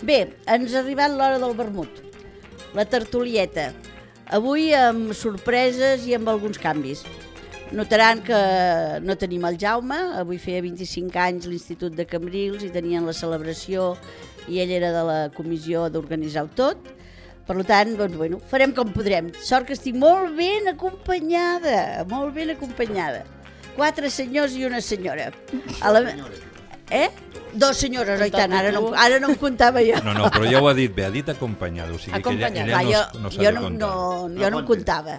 Bé, ens ha arribat l'hora del vermut, la tertulieta. Avui amb sorpreses i amb alguns canvis. Notaran que no tenim el Jaume, avui feia 25 anys l'Institut de Cambrils i tenien la celebració i ell era de la comissió d'organitzar-ho tot. Per tant, doncs, bueno, farem com podrem. Sort que estic molt ben acompanyada, molt ben acompanyada. 4 senyors i una senyora. Eh? 2 senyores, oi tant, ara no em comptava jo. No, però ja ho ha dit bé, ha dit acompanyada, o sigui que ella no s'ha de comptar. Jo no em comptava.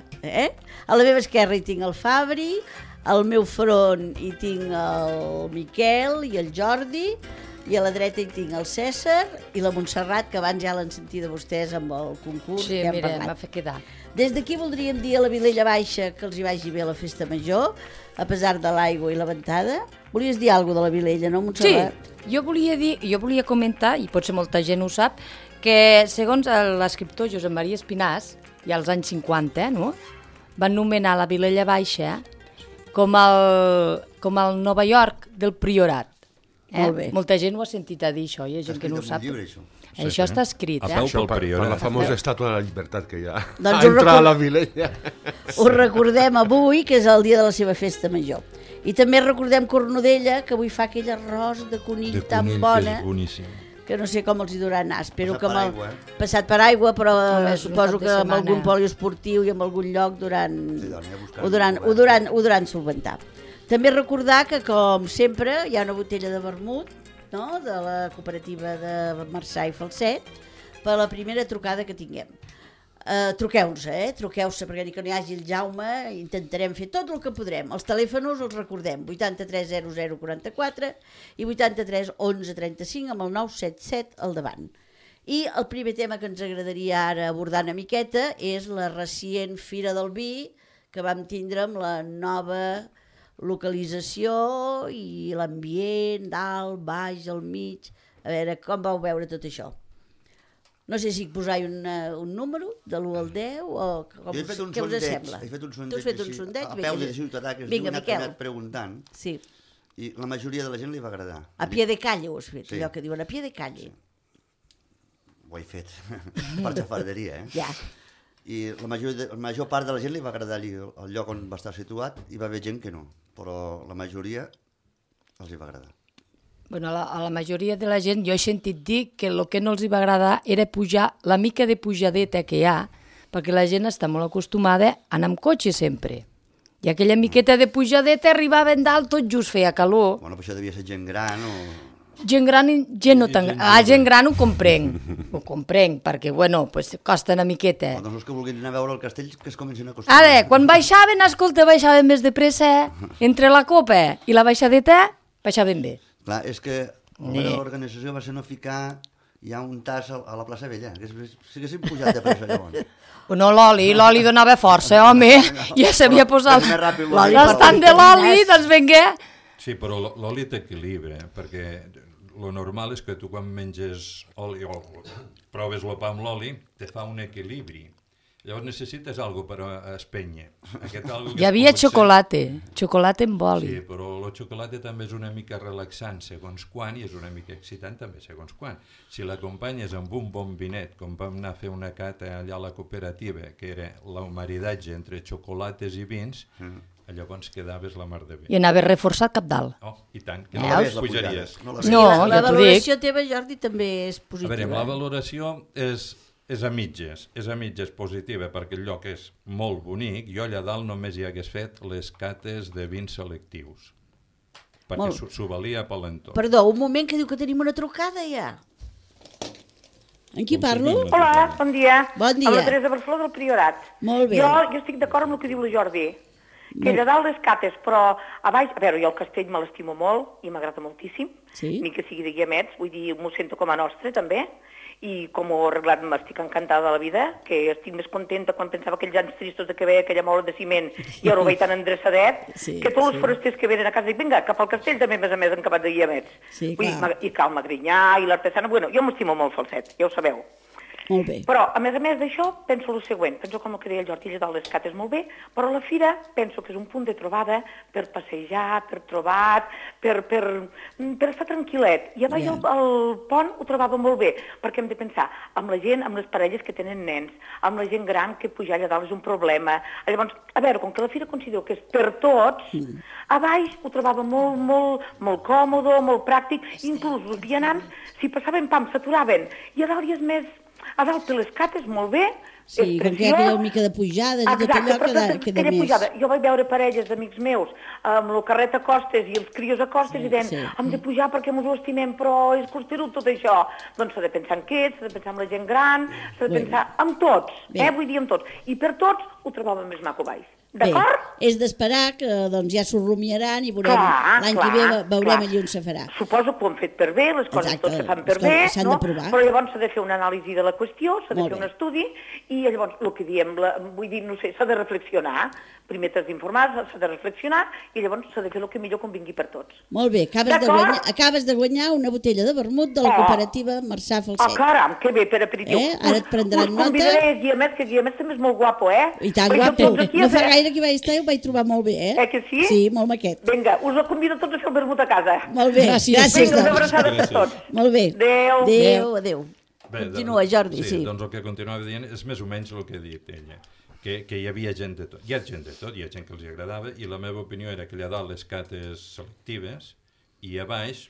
A la meva esquerra hi tinc el Fabri, al meu front hi tinc el Miquel i el Jordi, i a la dreta hi tinc el César i la Montserrat, que abans ja l'han sentit de vostès amb el concurs que hem parlat. Sí, mira, m'ha fet quedar. Des d'aquí voldríem dir a la Vilella Baixa que els hi vagi bé la festa major, a pesar de l'aigua i la ventada. Volies dir alguna cosa de la Vilella, no, Montserrat? Sí, jo volia comentar, i potser molta gent ho sap, que segons l'escriptor Josep Maria Espinàs, ja als anys 50, no? Van nomenar la Vilella Baixa com el Nova York del Priorat. Molt bé. Molta gent ho ha sentit a dir, això, hi ha gent que no ho sap. Això està escrit, per la famosa estàtua de la llibertat que hi ha doncs a entrar a la Vilella. Ho recordem avui, que és el dia de la seva festa major. I també recordem Cornudella, que avui fa aquell arròs de conill tan bona, que no sé com els hi durà anar. Espero que passat per aigua, però suposo que amb algun poliesportiu i en algun lloc ho duran solventar. També recordar que, com sempre, hi ha una botella de vermut, no?, de la cooperativa de Marçà i Falset, per la primera trucada que tinguem. Truqueu-se, perquè ni que no hi hagi el Jaume, intentarem fer tot el que podrem. Els telèfons els recordem, 83 00 44 i 83 11 35 amb el 977 al davant. I el primer tema que ens agradaria ara abordar una miqueta és la recient Fira del Vi que vam tindre amb la nova localització i l'ambient, dalt, baix, al mig. A veure, com vau veure tot això? No sé si posar un número, de l'1 al 10, o què us sembla? He fet un sondeig a peu de Ciutadà, que es diu, n'ha anat preguntant, i la majoria de la gent li va agradar. A pie de calle ho has fet, allò que diuen, a pie de calle. Ho he fet, per xafarderia, Ja. I la major part de la gent li va agradar el lloc on va estar situat, i va haver gent que no, però la majoria els hi va agradar. Bueno, a la majoria de la gent jo he sentit dir que el que no els va agradar era pujar la mica de pujadeta que hi ha, perquè la gent està molt acostumada a anar amb cotxe sempre. I aquella miqueta de pujadeta arribaven dalt, tot just feia calor. Bueno, però això devia ser gent gran o... Gent gran i gent no tan gran. Gent gran ho comprenc, perquè, bueno, pues, costa una miqueta. Doncs els que vulguin anar a veure el castell que es comencin a acostumar. Ara, quan baixaven, baixaven més de pressa, entre la copa i la baixadeta, baixaven bé. Clar, és que l'organització va ser no ficar ja un tas a la plaça Vella, que si haguessin pujat de pressa llavors. No, l'oli donava força, home, ja s'havia posat l'estant de l'oli, doncs vinga. Sí, però l'oli t'equilibra, perquè el normal és que tu quan menges oli o proves el pa amb l'oli, te fa un equilibri. Llavors necessites alguna cosa per espènyer. Hi havia xocolata amb oli. Sí, però el xocolata també és una mica relaxant segons quan i és una mica excitant també segons quan. Si l'acompanyes amb un bon vinet, com vam anar a fer una cata allà a la cooperativa, que era el maridatge entre xocolates i vins, llavors quedaves la mar de bé. I anaves reforçat cap dalt. Oh, i tant, que no les pujaries. No, la valoració teva, Jordi, també és positiva. A veure, la valoració és a mitges positiva, perquè el lloc és molt bonic. Jo allà dalt només hi hagués fet les cates de vins selectius, perquè s'ho valia per l'entorn. Perdó, un moment, que diu que tenim una trucada ja. En qui parlo? Hola, bon dia. Bon dia. A la Teresa Barceló del Priorat. Molt bé. Jo estic d'acord amb el que diu la Jordi, que allà dalt les cates, però a baix... A veure, jo el castell me l'estimo molt i m'agrada moltíssim, ni que sigui de Guiamets, vull dir, m'ho sento com a nostre també, i com ho he arreglat m'estic encantada de la vida, que estic més contenta quan pensava aquells anys tristos de que veia aquella mola de ciment i ara ho veig tan endreçadet, que tots els forasters que venen a casa dic, vinga, cap al castell també més a més en acabat de Guiamets. I cal Magrinyà i l'Artesana, bueno, jo m'estimo molt Falset, ja ho sabeu. Molt bé. Però, a més d'això, penso el següent. Penso com el que deia el Jordi, allà dalt les cates molt bé, però la fira penso que és un punt de trobada per passejar, per trobar, per estar tranquil·let. I a baix al pont ho trobava molt bé, perquè hem de pensar amb la gent, amb les parelles que tenen nens, amb la gent gran que pujar allà dalt és un problema. Llavors, a veure, com que la fira considero que és per tots, a baix ho trobava molt còmode, molt pràctic, inclús els vianants, si passaven pam, s'aturaven, i a dalt hi és més... A dalt per les cates, molt bé, sí, com que hi ha aquella mica de pujada, i tot allò queda més... Pujada. Jo vaig veure parelles d'amics meus amb el carret a costes i els crios a costes i deien, hem de pujar perquè ens ho estimem, però és costerut tot això. Doncs s'ha de pensar en aquests, s'ha de pensar en la gent gran, s'ha de pensar en tots, vull dir en tots. I per tots ho trobàvem més maco baix. D'acord? És d'esperar que doncs, ja s'ho rumiaran i veurem l'any que ve veurem allà on se farà. Suposo que ho han fet per bé, les coses tot se fan per bé, no? Però llavors s'ha de fer una anàlisi de la qüestió, s'ha de fer un estudi i llavors el que diem, vull dir, no sé, s'ha de reflexionar. Primer t'has d'informar, s'ha de reflexionar i llavors s'ha de fer el que millor convingui per tots. Molt bé, acabes de guanyar una botella de vermut de la cooperativa Marçà Falset. Caram, que bé, per aperitiu. Ara et prendran nota. Us convidaré Guiamet, que Guiamet també és molt guapo, I tant, guapo. No fa gaire que vaig estar i ho vaig trobar molt bé, que sí? Sí, molt maquet. Vinga, us convido tots a fer el vermut a casa. Molt bé, gràcies. Vinga, una abraçada per tots. Molt bé. Adéu. Continua, Jordi, sí. Doncs el que continuava dient és més o menys el que ha dit ella, que hi havia gent de tot. Hi ha gent de tot, hi ha gent que els agradava, i la meva opinió era que allà dalt les cates selectives, i a baix,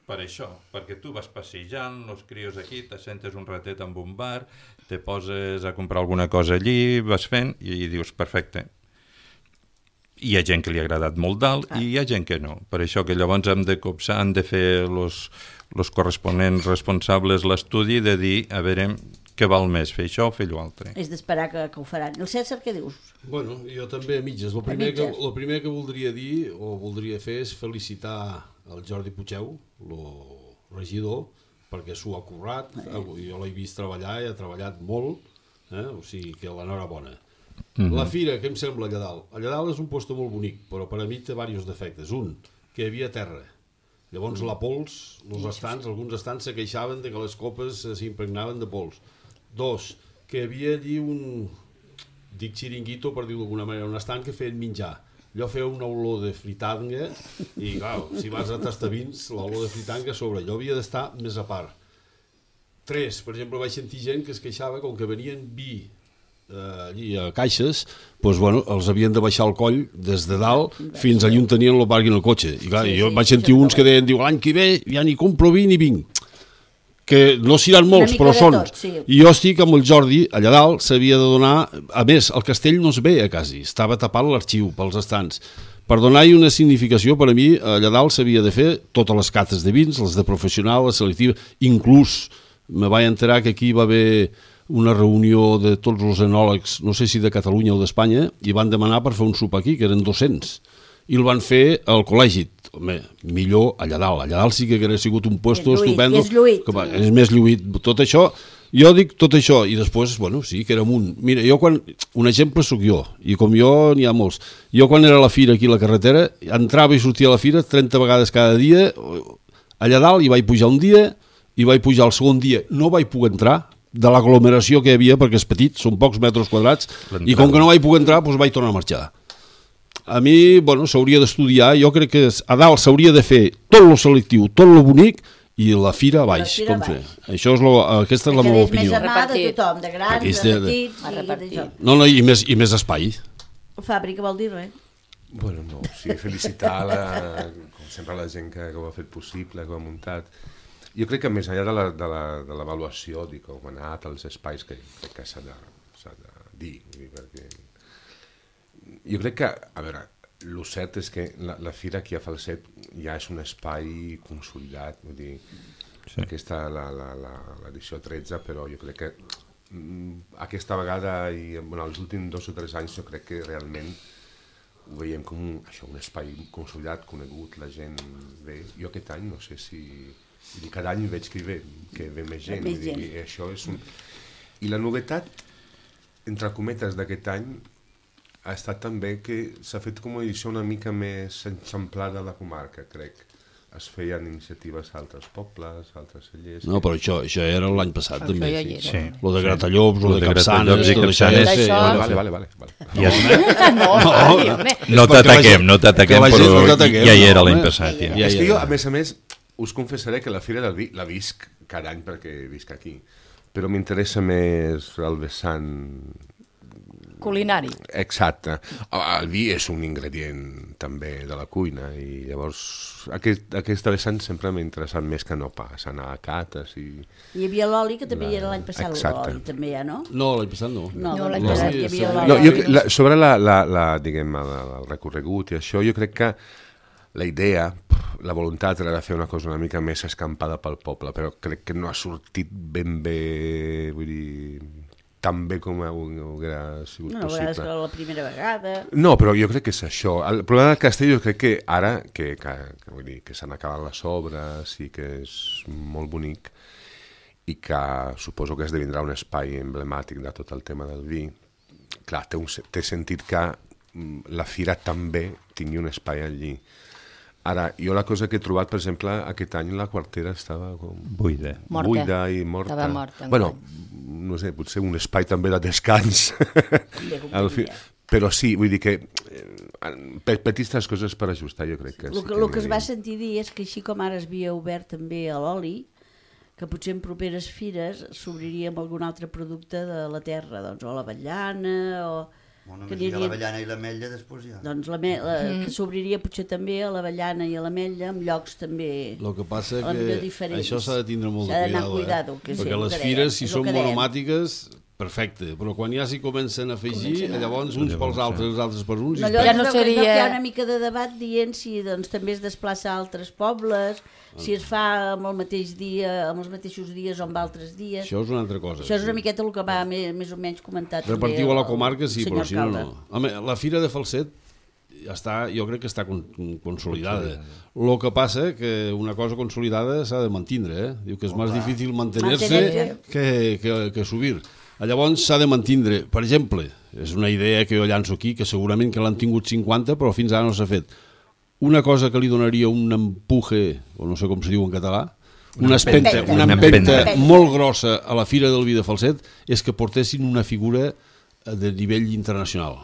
per això, perquè tu vas passejant, els crios aquí, t'assentes un ratet amb un bar, te poses a comprar alguna cosa allí, vas fent, i dius, perfecte. Hi ha gent que li ha agradat molt dalt i hi ha gent que no. Per això que llavors hem de copsar, han de fer els corresponents responsables l'estudi de dir, a veure, què val més, fer això o fer allò altre. És d'esperar que ho faran. El César, què dius? Bueno, jo també a mitges. El primer que voldria dir o voldria fer és felicitar el Jordi Puigeu, el regidor, perquè s'ho ha currat. Jo l'he vist treballar i ha treballat molt, o sigui que l'enhorabona. La fira, què em sembla allà dalt? Allà dalt és un lloc molt bonic, però per a mi té diversos defectes. Un, que hi havia terra. Llavors la pols, alguns estants se queixaven de que les copes s'impregnaven de pols. Dos, que hi havia allí dic xiringuito per dir-ho d'alguna manera, un estant que feien menjar. Allò feia una olor de fritanga i, clar, si vas a Tastavins, l'olor de fritanga a sobre. Allò havia d'estar més a part. Tres, per exemple, vaig sentir gent que es queixava com que venien vi allí a caixes, doncs, bueno, els havien de baixar el coll des de dalt fins allà on tenien el parc en el cotxe. I clar, jo vaig sentir uns que deien, l'any que ve ja ni compro vi ni vinc. Que no seran molts, però són. I jo estic amb el Jordi, allà dalt s'havia de donar... A més, el castell no es veia quasi, estava tapat l'arxiu pels estants. Per donar-hi una significació, per a mi, allà dalt s'havia de fer totes les cates de vins, les de professional, les selectives, inclús me vaig enterar que aquí va haver una reunió de tots els enòlegs, no sé si de Catalunya o d'Espanya, i van demanar per fer un sopar aquí, que eren 200. I el van fer al col·legi. Home, millor allà dalt. Allà dalt sí que hauria sigut un puesto estupendo. És lluït. És més lluït. Tot això, jo dic tot això, i després, bueno, sí que era amunt. Mira, jo quan... Un exemple sóc jo, i com jo n'hi ha molts. Jo quan era a la fira aquí a la carretera, entrava i sortia a la fira 30 vegades cada dia. Allà dalt hi vaig pujar un dia, i vaig pujar el segon dia. No vaig poder entrar, de l'aglomeració que hi havia, perquè és petit, són pocs metres quadrats, i com que no vaig poder entrar, doncs vaig tornar a marxar. A mi, bueno, s'hauria d'estudiar, jo crec que a dalt s'hauria de fer tot lo selectiu, tot lo bonic, i la fira a baix. Això és aquesta és la meva opinió. Que és més amada de tothom, de grans, de petits, No, i més espai. Fàbrica vol dir res? Bueno, no, sí, felicitar com sempre la gent que ho ha fet possible, que ho ha muntat. Jo crec que més enllà de l'avaluació, com han anat els espais, que crec que s'ha de dir, perquè jo crec que, a veure, el cert és que la fira aquí a Falset ja és un espai consolidat, vull dir, aquesta l'edició 13, però jo crec que aquesta vegada i els últims 2 o 3 anys jo crec que realment ho veiem com un espai consolidat, conegut, la gent ve. Jo aquest any no sé si... Cada any veig que ve més gent. I això és I la novetat, entre cometes, d'aquest any ha estat també que s'ha fet com una edició una mica més enxamplada a la comarca, crec. es feien iniciatives a altres pobles, a altres cellers... No, però això era l'any passat, també. Sí. Lo de Gratallops, lo de Capçanes, tot això... Vale. No t'ataquem, però ja hi era l'any passat. És que jo, a més, us confessaré que la Fira del Vi la visc cada any perquè visc aquí, però m'interessa més el vessant... Culinari. Exacte. El vi és un ingredient també de la cuina i llavors aquesta vessant sempre m'ha interessat més que no pas anar a cates i... Hi havia l'oli, que també hi era l'any passat, l'oli també ja, no? No, l'any passat no. No, l'any passat hi havia l'oli. Sobre diguem, el recorregut i això, jo crec que la idea, la voluntat era de fer una cosa una mica més escampada pel poble, però crec que no ha sortit ben bé, vull dir... tan bé com hauria sigut possible. No, és que la primera vegada... No, però jo crec que és això. El problema del castell jo crec que ara, que s'han acabat les obres i que és molt bonic i que suposo que esdevindrà un espai emblemàtic de tot el tema del vi, clar, té sentit que la fira també tingui un espai allí. Ara, jo la cosa que he trobat, per exemple, aquest any la quartera estava buida i morta. Estava morta. Bueno, no sé, potser un espai també de descans. Però sí, vull dir que petites coses per ajustar, jo crec que sí. El que es va sentir dir és que així com ara es havia obert també a l'oli, que potser en properes fires s'obriria amb algun altre producte de la terra, doncs, o l'avellana, o... Bueno, només hi ha l'avellana i l'ametlla, després ja. Doncs que s'obriria potser també a l'avellana i a l'ametlla, amb llocs també... El que passa que això s'ha de tindre molt de cuidado, perquè les fires, si són monomàtiques, perfecte, però quan ja s'hi comencen a afegir, llavors uns pels altres, els altres per uns... Ja no seria... Hi ha una mica de debat dient si doncs, també es desplaça a altres pobles, si es fa amb el mateix dia, amb els mateixos dies o amb altres dies... Això és una altra cosa. Això és una miqueta el que va més o menys comentat. Repartiu a la comarca, sí, però si no. Home, la Fira de Falset jo crec que està consolidada. El que passa que una cosa consolidada s'ha de mantindre, Diu que és més difícil mantenir-se que subir. Llavors s'ha de mantindre. Per exemple, és una idea que jo llanço aquí, que segurament que l'han tingut 50, però fins ara no s'ha fet. Una cosa que li donaria un empuje, o no sé com se diu en català, una empenta molt grossa a la Fira del Vi de Falset, és que portessin una figura de nivell internacional.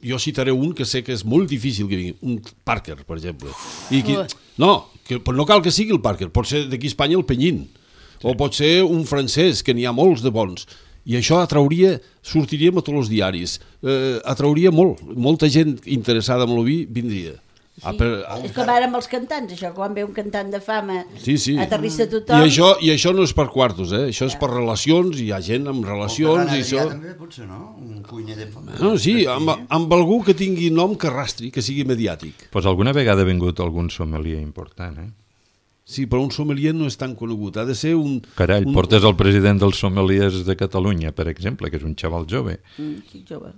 Jo citaré un que sé que és molt difícil que vingui, un Parker, per exemple. Però no cal que sigui el Parker, pot ser d'aquí a Espanya el Penyín, o pot ser un francès, que n'hi ha molts de bons. I això sortiríem a tots els diaris, atrauria molta gent interessada en el vi, vindria. Sí, és com ara amb els cantants, això, quan ve un cantant de fama, aterrissa tothom... I això no és per quartos, això és per relacions, hi ha gent amb relacions... O Ferran també, potser, no? Un cuiner de fama. No, sí, amb algú que tingui nom que arrastri, que sigui mediàtic. Pues alguna vegada ha vingut algun sommelier important, Sí, però un sommelier no és tan conegut, ha de ser un... Carai, portes el president dels sommeliers de Catalunya, per exemple, que és un xaval jove. Sí, jove.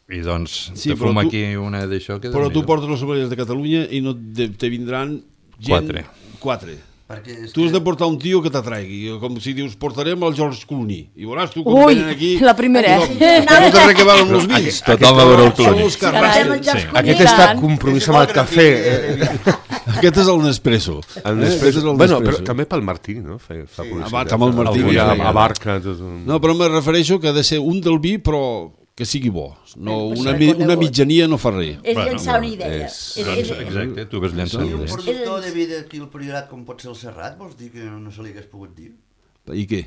I doncs te fuma aquí una d'això que... Però tu portes els sommeliers de Catalunya i no te vindran gent... Quatre. Tu has de portar un tio que t'atraigui, com si dius, portarem el George Clooney, i veuràs tu com venen aquí... Ui, la primera, No té res que veure amb els vins. Tothom a veure el Clooney. Aquest està compromís amb el cafè. Aquest és el Nespresso. Bueno, però també pel Martí, no? Fa publicitat. Amb el Martí. Abarca tot un... No, però me refereixo que ha de ser un del vi, però... que sigui bo. Una mitjania no fa res. És llançar una idea. Exacte, tu ves llançar una idea. Un productor de vi d'aquí al Priorat com pot ser el Serrat, vols dir que no se li hagués pogut dir? I què?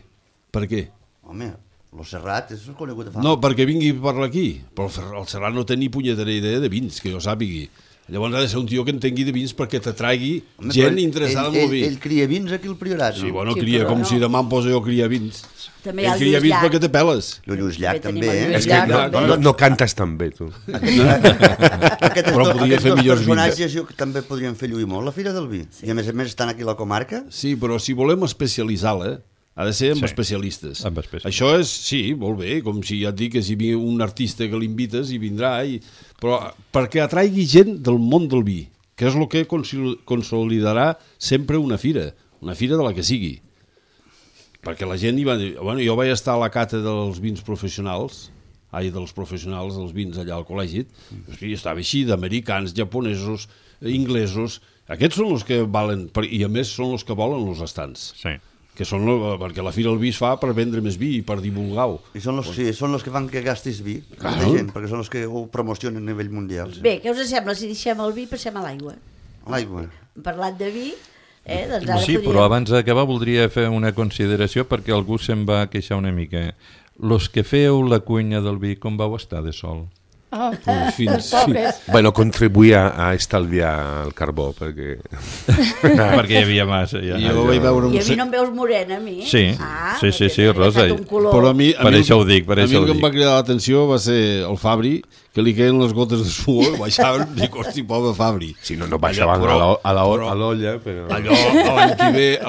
Per què? Home, el Serrat és conegut de fama. No, perquè vingui per aquí. Però el Serrat no té ni punyetera idea de vins, que jo sàpigui. Llavors ha de ser un tio que entengui de vins perquè t'atraigui gent interessada en el vi. Ell cria vins aquí al Priorat, no? Sí, bueno, cria com si demà em posa jo a criar vins. Ell cria vins perquè te peles. El Lluís Llach també, És que no cantes tan bé, tu. Però podria fer millors vins. Aquests personatges també podrien fer lluir molt la Fira del Vi. I a més estan aquí a la comarca. Sí, però si volem especialitzar-la, ha de ser amb especialistes. Això és, sí, molt bé, com si ja et dic que si ve un artista que l'invites i vindrà, però perquè atraigui gent del món del vi, que és el que consolidarà sempre una fira de la que sigui. Perquè la gent hi va dir... Bueno, jo vaig estar a la cata dels vins professionals, dels professionals dels vins allà al col·legi, i estava així, d'americans, japonesos, inglesos... Aquests són els que valen, i a més són els que volen els estants. Sí. Que són, perquè la Fira del Vi es fa per vendre més vi i per divulgar-ho. I són els que fan que gastis vi, Claro. gent, perquè són els que ho promocionen a nivell mundial. Bé, què us sembla si deixem el vi i passem a l'aigua? L'aigua. Parlant de vi, doncs ara Sí, podríem... però abans d'acabar voldria fer una consideració perquè algú se'n va queixar una mica. Los que feu la cuina del vi, com vau estar de sol? Oh, Fins. Bueno, contribuïa a estalviar el carbó, perquè... Perquè hi havia massa. Ja. Jo vaig veure I a mi no em veus morena, a mi? Sí, sí, Rosa. Però a mi això ho dic, per a mi això el ho que em dic. va cridar l'atenció va ser el Fabri, que li queien les gotes de suor, baixaven, dic, hosti, pobre Fabri. Si no, no baixaven a l'olla, però... Allò,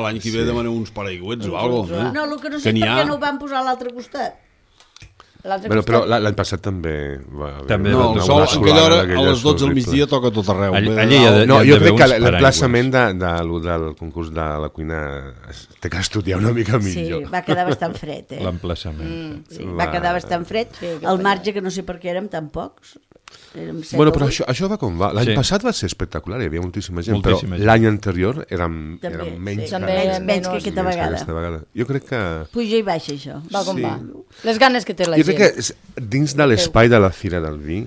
l'any que ve demanem uns paraigüets o alguna cosa. No, el que no sé per què no ho van posar a l'altre costat. Però l'any passat també va haver... També No, va el donar sol una a solana aquella hora, a d'aquelles les 12 del horribles. migdia toca a tot arreu. Allí Ve de hi ha dalt. de- No, jo d'haver crec que uns l'emplaçament del concurs de la cuina té que estudiar una mica Sí, millor. va quedar bastant fred, L'emplaçament. Sí, va quedar bastant fred. El marge, que no sé per què érem tan pocs. Érem 7 Bueno, o però 8. això va com va. L'any Sí. passat va ser espectacular, hi havia moltíssima gent, Moltíssima però gent. l'any anterior érem També, menys sí. També Menys que aquesta menys que vegada. aquesta vegada. Jo crec que... Puja i baixa, això. Va com Sí. va. Les ganes que té la Jo gent. crec que dins de l'espai de la Fira del Vi,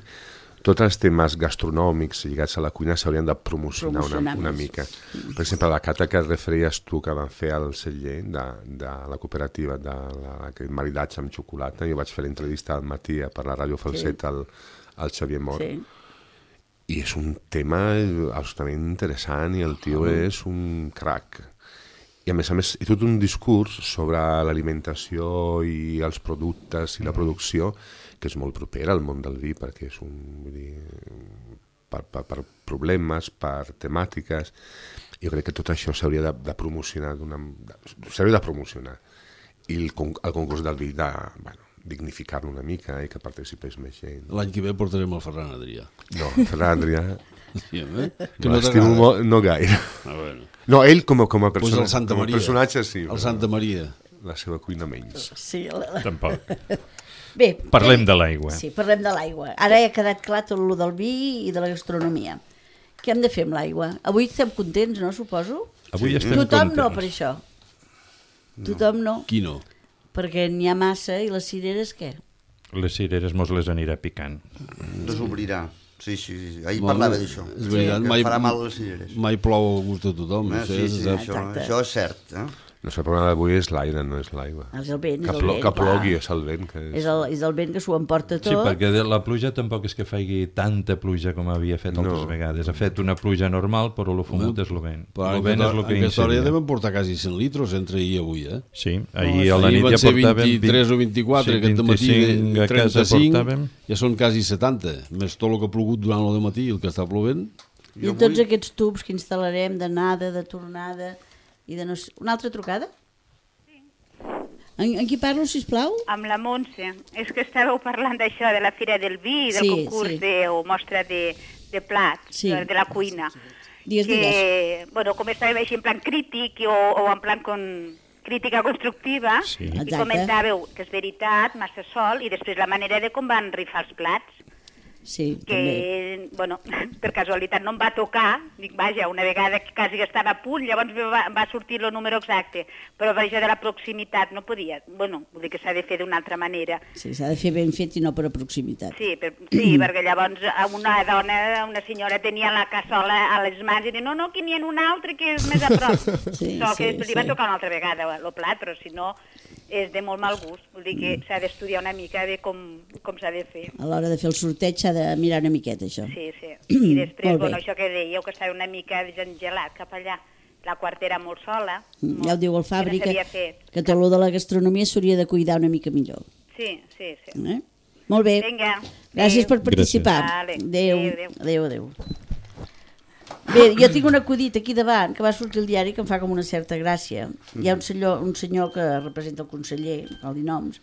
tots els temes gastronòmics lligats a la cuina s'haurien de promocionar una més. mica. Per exemple, la cata que referies tu que van fer al celler de la cooperativa d'aquest maridatge amb xocolata, jo vaig fer l'entrevista al matí per la Ràdio Falset al Xavier Mor, Sí. i és un tema absolutament interessant i el tio és un crac. I a més, i tot un discurs sobre l'alimentació i els productes i la producció que és molt propera al món del vi, perquè és vull dir, per problemes, per temàtiques. Jo crec que tot això s'hauria de promocionar, s'hauria de promocionar. I el concurs del vi dignificar-lo una mica i que participés més gent. L'any que ve portarem el Ferran Adrià. No, Ferran Adrià... Sí, Que no l'estimo molt, no gaire. Bueno. No, ell com a Pues el Santa Maria. personatge sí. El Santa Maria. La seva cuina menys. Sí, Tampoc. Bé, Parlem de l'aigua. Sí, parlem de l'aigua. Ara ja ha quedat clar tot el del vi i de la gastronomia. Què hem de fer amb l'aigua? Avui estem contents, no, suposo? Avui estem Tothom contents. no, per això. Tothom no, Qui no? perquè n'hi ha massa i les cireres què? Les cireres mos les anirà picant. Desobrirà. Sí, ahir Bueno, parlava d'això. és veritat, Que farà mal a les cireres. Mai plou a gust de tothom. Sí, és cert. això és cert. No sé, el problema d'avui és l'aire, no és l'aigua. És el vent, és Que, el vent, que clar. plogui, és el vent. Que És el vent que s'ho emporta tot. Sí, perquè la pluja tampoc és que faci tanta pluja com havia fet altres vegades. Ha fet una pluja normal, però el fumut és el vent. Però El vent és el que en aquesta hora ja incidia. devem portar quasi 100 litros entre ahir i avui, Sí, ahir a la nit van ja ser portàvem... 23 o 24, aquest matí 25 a casa 35, portàvem. ja són quasi 70, més tot el que ha plogut durant el matí i el que està plovent. I tots aquests tubs que instal·larem d'anada, de tornada i de no sé... Una altra trucada? En qui parlo, sisplau? Amb la Montse. És que estàveu parlant d'això, de la Fira del Vi, del concurs o mostra de plats, de la cuina. Digues. Bueno, com estàvem així en plan crític o en plan crítica constructiva, i comentàveu que és veritat, massa sol, i després la manera de com van rifar els plats. Sí, que, bueno, per casualitat no em va tocar, dic, vaja, una vegada que quasi estava a punt, llavors va sortir el número exacte, però per això de la proximitat no podia, bueno, vull dir que s'ha de fer d'una altra manera. Sí, s'ha de fer ben fet i no per a proximitat. Sí, perquè llavors una dona, una senyora tenia la cassola a les mans i deia, no, que n'hi ha un altre que és més a prop. Que li va tocar una altra vegada el plat, però si no és de molt mal gust, vull dir que s'ha d'estudiar una mica de com s'ha de fer. A l'hora de fer el sorteig s'ha de mirar una miqueta, això. Sí. I després, bueno, això que dèieu, que estava una mica desengelat cap allà, la quartera molt sola. Ja ho diu el Fabri, que tot el de la gastronomia s'hauria de cuidar una mica millor. Sí. Molt bé. Vinga. Gràcies per participar. Adéu. Bé, jo tinc un acudit aquí davant que va sortir al diari que em fa com una certa gràcia. Hi ha un senyor que representa el conseller, no li noms,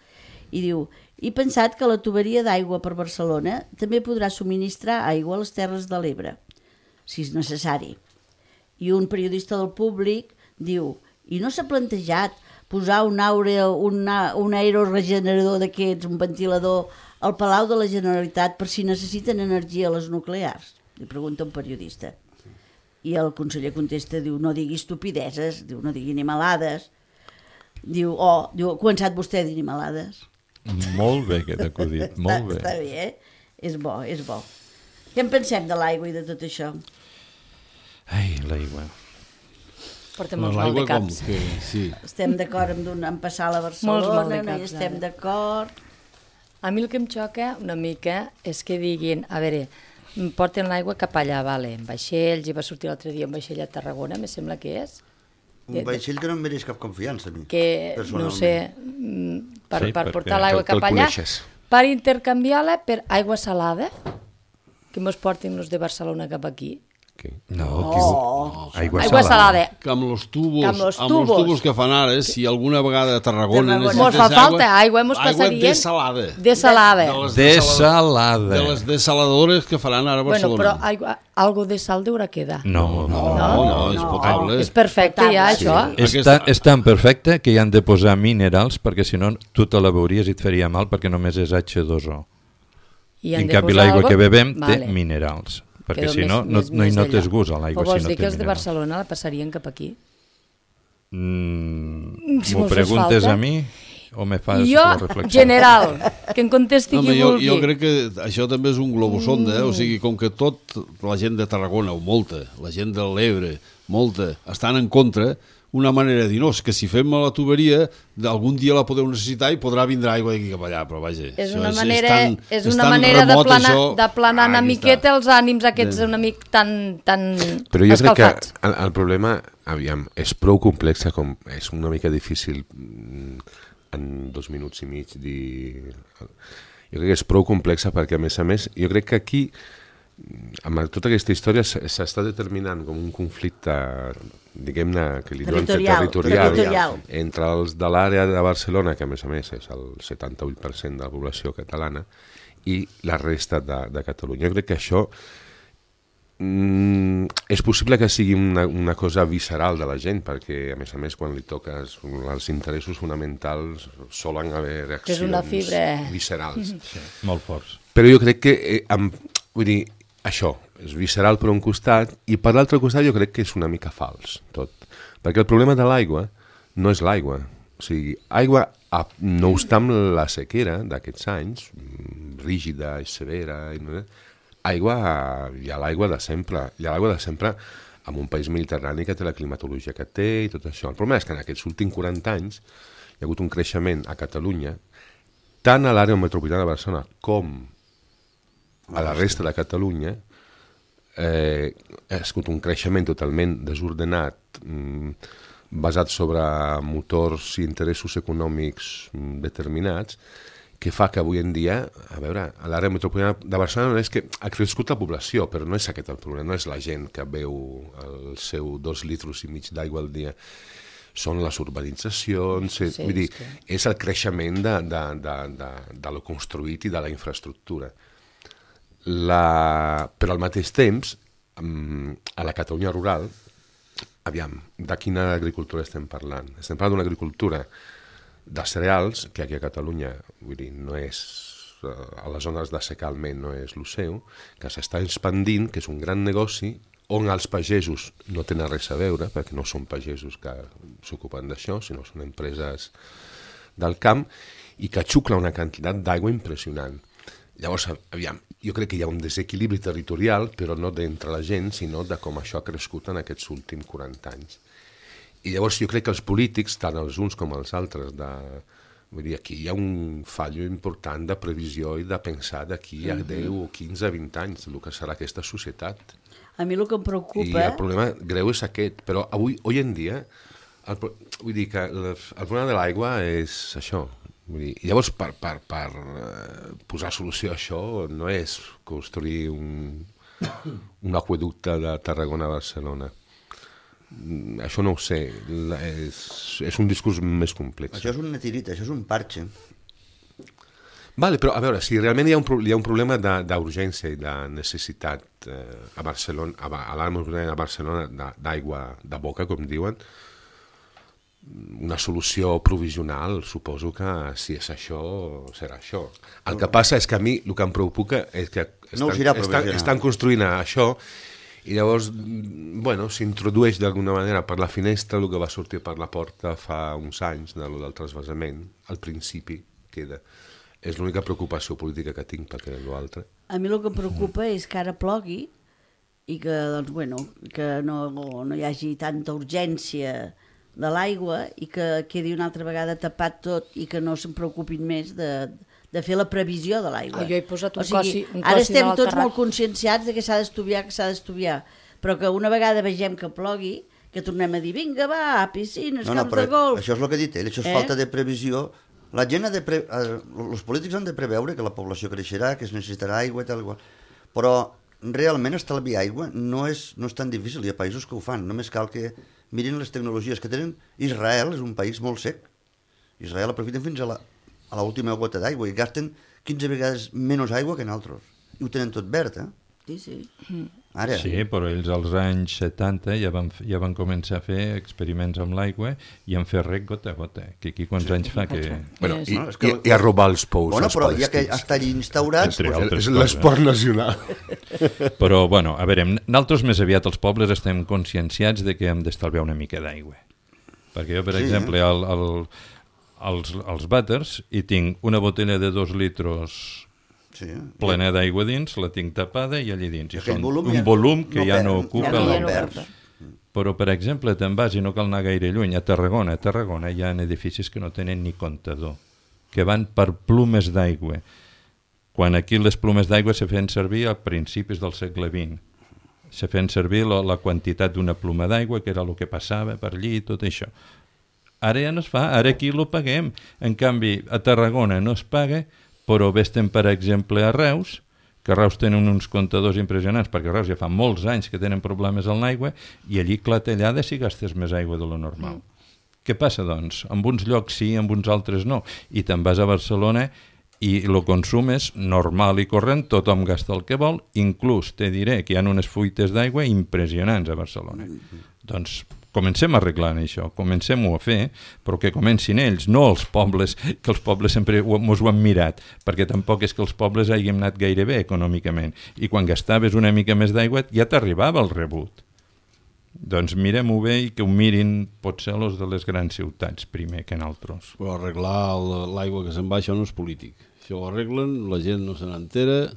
i diu: he pensat que la tuberia d'aigua per Barcelona també podrà subministrar aigua a les Terres de l'Ebre, si és necessari. I un periodista del Públic diu: i no s'ha plantejat posar un aeroregenerador d'aquests, un ventilador, al Palau de la Generalitat per si necessiten energia a les nuclears? Li pregunta un periodista. I el conseller contesta, diu, no digui estupideses, diu, no digui animalades. Diu, ha començat vostè a dir animalades. Molt bé aquest acudit, molt bé. Està bé, És bo, és bo. Què en pensem de l'aigua i de tot això? Ai, l'aigua. Portem molts mal de caps. Sí. Estem d'acord en passar a la Barcelona, no hi estem d'acord. A mi el que em xoca una mica és que diguin, a veure, porten l'aigua cap allà, vale, en vaixells, i va sortir l'altre dia un vaixell a Tarragona, me sembla que és. Un vaixell que no em mereix cap confiança, a mi. Que, no sé, per portar l'aigua cap allà, coneixes. per intercanviar-la per aigua salada, que mos portin els de Barcelona cap aquí. No, aigua salada. Que amb els tubos que fan ara, si alguna vegada a Tarragona mos fa falta aigua, mos passarien de salada. De les desaladores que faran ara a Barcelona. Bueno, però algo de sal deurà quedar. No, és potable. És perfecte ja, això. És tan perfecte que hi han de posar minerals, perquè si no tu te la veuries i et faria mal, perquè només és H2O. En canvi l'aigua que bebem té minerals. Perquè si no, no hi notes gust a l'aigua. Però vols dir que els de Barcelona la passarien cap aquí? M'ho preguntes a mi o me fas la reflexió? Jo, general, que em contesti qui vulgui. Jo crec que això també és un globosonda, o sigui, com que la gent de Tarragona, o molta, la gent de l'Ebre, molta, estan en contra, una manera de dir, no, és que si fem la tuberia, algun dia la podeu necessitar i podrà vindre aigua d'aquí cap allà, però vaja... És una manera d'aplanar una miqueta els ànims aquests una mica tan escalfats. Però jo crec que el problema, aviam, és prou complex, com és una mica difícil en 2 minuts i mig dir... Jo crec que és prou complexa perquè, a més, jo crec que aquí, amb tota aquesta història, s'està determinant com un conflicte, diguem-ne, que li diuen territorial entre els de l'àrea de Barcelona, que a més és el 78% de la població catalana, i la resta de Catalunya. Jo crec que això és possible que sigui una cosa visceral de la gent, perquè, a més, quan li toques els interessos fonamentals solen haver reaccions viscerals. Sí, molt forts. Però jo crec que, vull dir, això és visceral per un costat i per l'altre costat jo crec que és una mica fals tot, perquè el problema de l'aigua no és l'aigua, o sigui, aigua no obstant la sequera d'aquests anys, rígida i severa, hi ha l'aigua de sempre, en un país mediterrani que té la climatologia que té i tot això. El problema és que en aquests últims 40 anys hi ha hagut un creixement a Catalunya, tant a l'àrea metropolitana de Barcelona com a la resta de Catalunya, ha escut un creixement totalment desordenat, basat sobre motors i interessos econòmics determinats, que fa que avui en dia, a veure, a l'àrea metropolitana de Barcelona és que ha crescut la població, però no és aquest el problema, no és la gent que beu el seu 2,5 litres d'aigua al dia. Són les urbanitzacions, vull dir, és el creixement de lo construït i de la infraestructura. Però al mateix temps, a la Catalunya rural, aviam, de quina agricultura estem parlant? Estem parlant d'una agricultura de cereals, que aquí a Catalunya, vull dir, no és, a les zones de secà almenys no és el seu, que s'està expandint, que és un gran negoci, on els pagesos no tenen res a veure, perquè no són pagesos que s'ocupen d'això, sinó són empreses del camp, i que xucla una quantitat d'aigua impressionant. Llavors, aviam, jo crec que hi ha un desequilibri territorial, però no d'entre la gent, sinó de com això ha crescut en aquests últims 40 anys. I llavors jo crec que els polítics, tant els uns com els altres, vull dir, aquí hi ha un fallo important de previsió i de pensar d'aquí a 10 o 15 o 20 anys el que serà aquesta societat. A mi el que em preocupa... I el problema greu és aquest, però avui en dia, vull dir que el problema de l'aigua és això. Vull dir, llavors, per posar solució a això, no és construir un aqüeducte de Tarragona a Barcelona. Això no ho sé, és un discurs més complex. Això és una tirita, això és un parche. Vale, però a veure, si realment hi ha un problema d'urgència i de necessitat a Barcelona, a l'àrea de Barcelona d'aigua de boca, com diuen, una solució provisional, suposo que si és això, serà això. El que passa és que a mi el que em preocupa és que estan construint això I llavors, bueno, s'introdueix d'alguna manera per la finestra el que va sortir per la porta fa uns anys del transvasament, al principi queda. És l'única preocupació política que tinc, perquè l'altre... A mi el que em preocupa és que ara plogui i que, doncs, bueno, que no hi hagi tanta urgència de l'aigua i que quedi una altra vegada tapat tot i que no se'n preocupin més de fer la previsió de l'aigua. Jo he posat un cosi de ara estem tots l'alterrat. molt conscienciats de que s'ha d'estudiar, però que una vegada vegem que plogui, que tornem a dir, vinga, va, piscines, camps de golf... Això és el que ha dit ell, això és falta de previsió. La gent els polítics han de preveure que la població creixerà, que es necessitarà aigua i tal igual, però realment estalviar aigua no és tan difícil, hi ha països que ho fan, només cal que mirin les tecnologies que tenen. Israel és un país molt sec, Israel aprofiten fins a l'última gota d'aigua i gasten 15 vegades menys aigua que nosaltres, i ho tenen tot verd, Sí. Ara. Sí, però ells als anys 70 ja van començar a fer experiments amb l'aigua i han fet rec gota a gota, que aquí quants anys fa que... Bueno, i a robar els pous als però ja que palestins. està allí instaurat... És l'esport nacional. Però, bueno, a veure, nosaltres més aviat els pobles estem conscienciats de que hem d'estalviar una mica d'aigua. Perquè jo, per exemple, als vàters hi tinc una botella de 2 litros plena d'aigua dins, la tinc tapada i allà dins. I són un volum que ja no ocupa l'aigua. Però, per exemple, te'n vas i no cal anar gaire lluny. A Tarragona hi ha edificis que no tenen ni comptador, que van per plumes d'aigua. Quan aquí les plumes d'aigua se feien servir a principis del segle XX. Se feien servir la quantitat d'una pluma d'aigua, que era el que passava per allí i tot això. Ara ja no es fa, ara aquí ho paguem. En canvi, a Tarragona no es paga, però vés-te'n, per exemple, a Reus, que a Reus tenen uns comptadors impressionants, perquè a Reus ja fa molts anys que tenen problemes amb l'aigua, i allí clatellada si gastes més aigua de lo normal. Què passa, doncs? En uns llocs sí, en uns altres no. I te'n vas a Barcelona i el consum és normal i corrent, tothom gasta el que vol, inclús te diré que hi ha unes fuites d'aigua impressionants a Barcelona. Doncs comencem arreglant això, comencem-ho a fer, però que comencin ells, no els pobles, que els pobles sempre mos ho han mirat, perquè tampoc és que els pobles hàgim anat gaire bé econòmicament, i quan gastaves una mica més d'aigua ja t'arribava el rebut. Doncs mirem-ho bé i que ho mirin potser els de les grans ciutats primer que nosaltres. Però arreglar l'aigua que se'n va, això no és polític. Això ho arreglen, la gent no se n'entera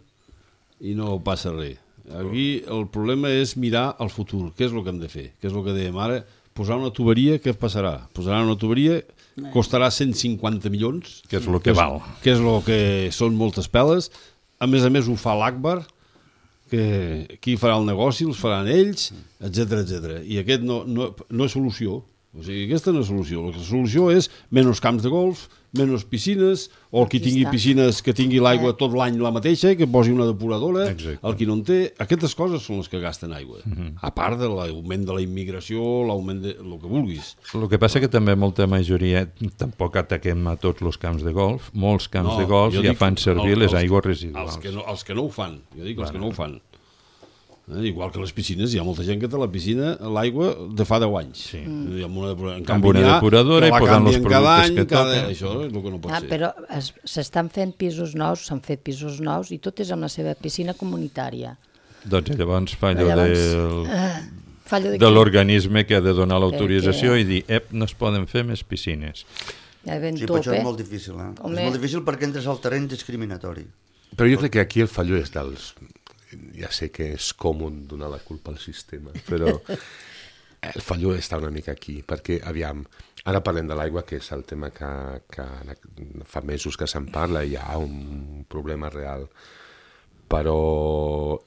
i no passa res. Aquí el problema és mirar al futur, què és el que hem de fer, què és el que dèiem ara, posar una tuberia, què passarà? Posaran una tuberia, costarà 150 milions, que és el que val. Que és el que són moltes peles, a més ho fa l'Akbar, que qui farà el negoci, els faran ells, etc. I aquest no és solució. O sigui, aquesta no és solució. La solució és menys camps de golf, menys piscines, o el qui tingui piscines que tingui l'aigua tot l'any la mateixa, que posi una depuradora, el qui no en té. Aquestes coses són les que gasten aigua. A part de l'augment de la immigració, l'augment de el que vulguis. El que passa que també molta majoria, tampoc ataquem a tots els camps de golf, molts camps de golf ja fan servir les aigües residuals. Els que no ho fan, jo dic els que no ho fan. Igual que les piscines, hi ha molta gent que té la piscina, l'aigua de fa 10 anys. Sí. Amb una depuradora i posant els productes que toquen. Això és el que no pot ser. Però s'estan fent pisos nous, s'han fet pisos nous i tot és amb la seva piscina comunitària. Doncs llavors fallo de l'organisme que ha de donar l'autorització i dir, no es poden fer més piscines. Sí, però això és molt difícil. És molt difícil perquè entres al terreny discriminatori. Però jo crec que aquí el fallo és dels... Ja sé que és còmode donar la culpa al sistema, però el fallo està una mica aquí, perquè, aviam, ara parlem de l'aigua, que és el tema que fa mesos que se'n parla, hi ha un problema real, però...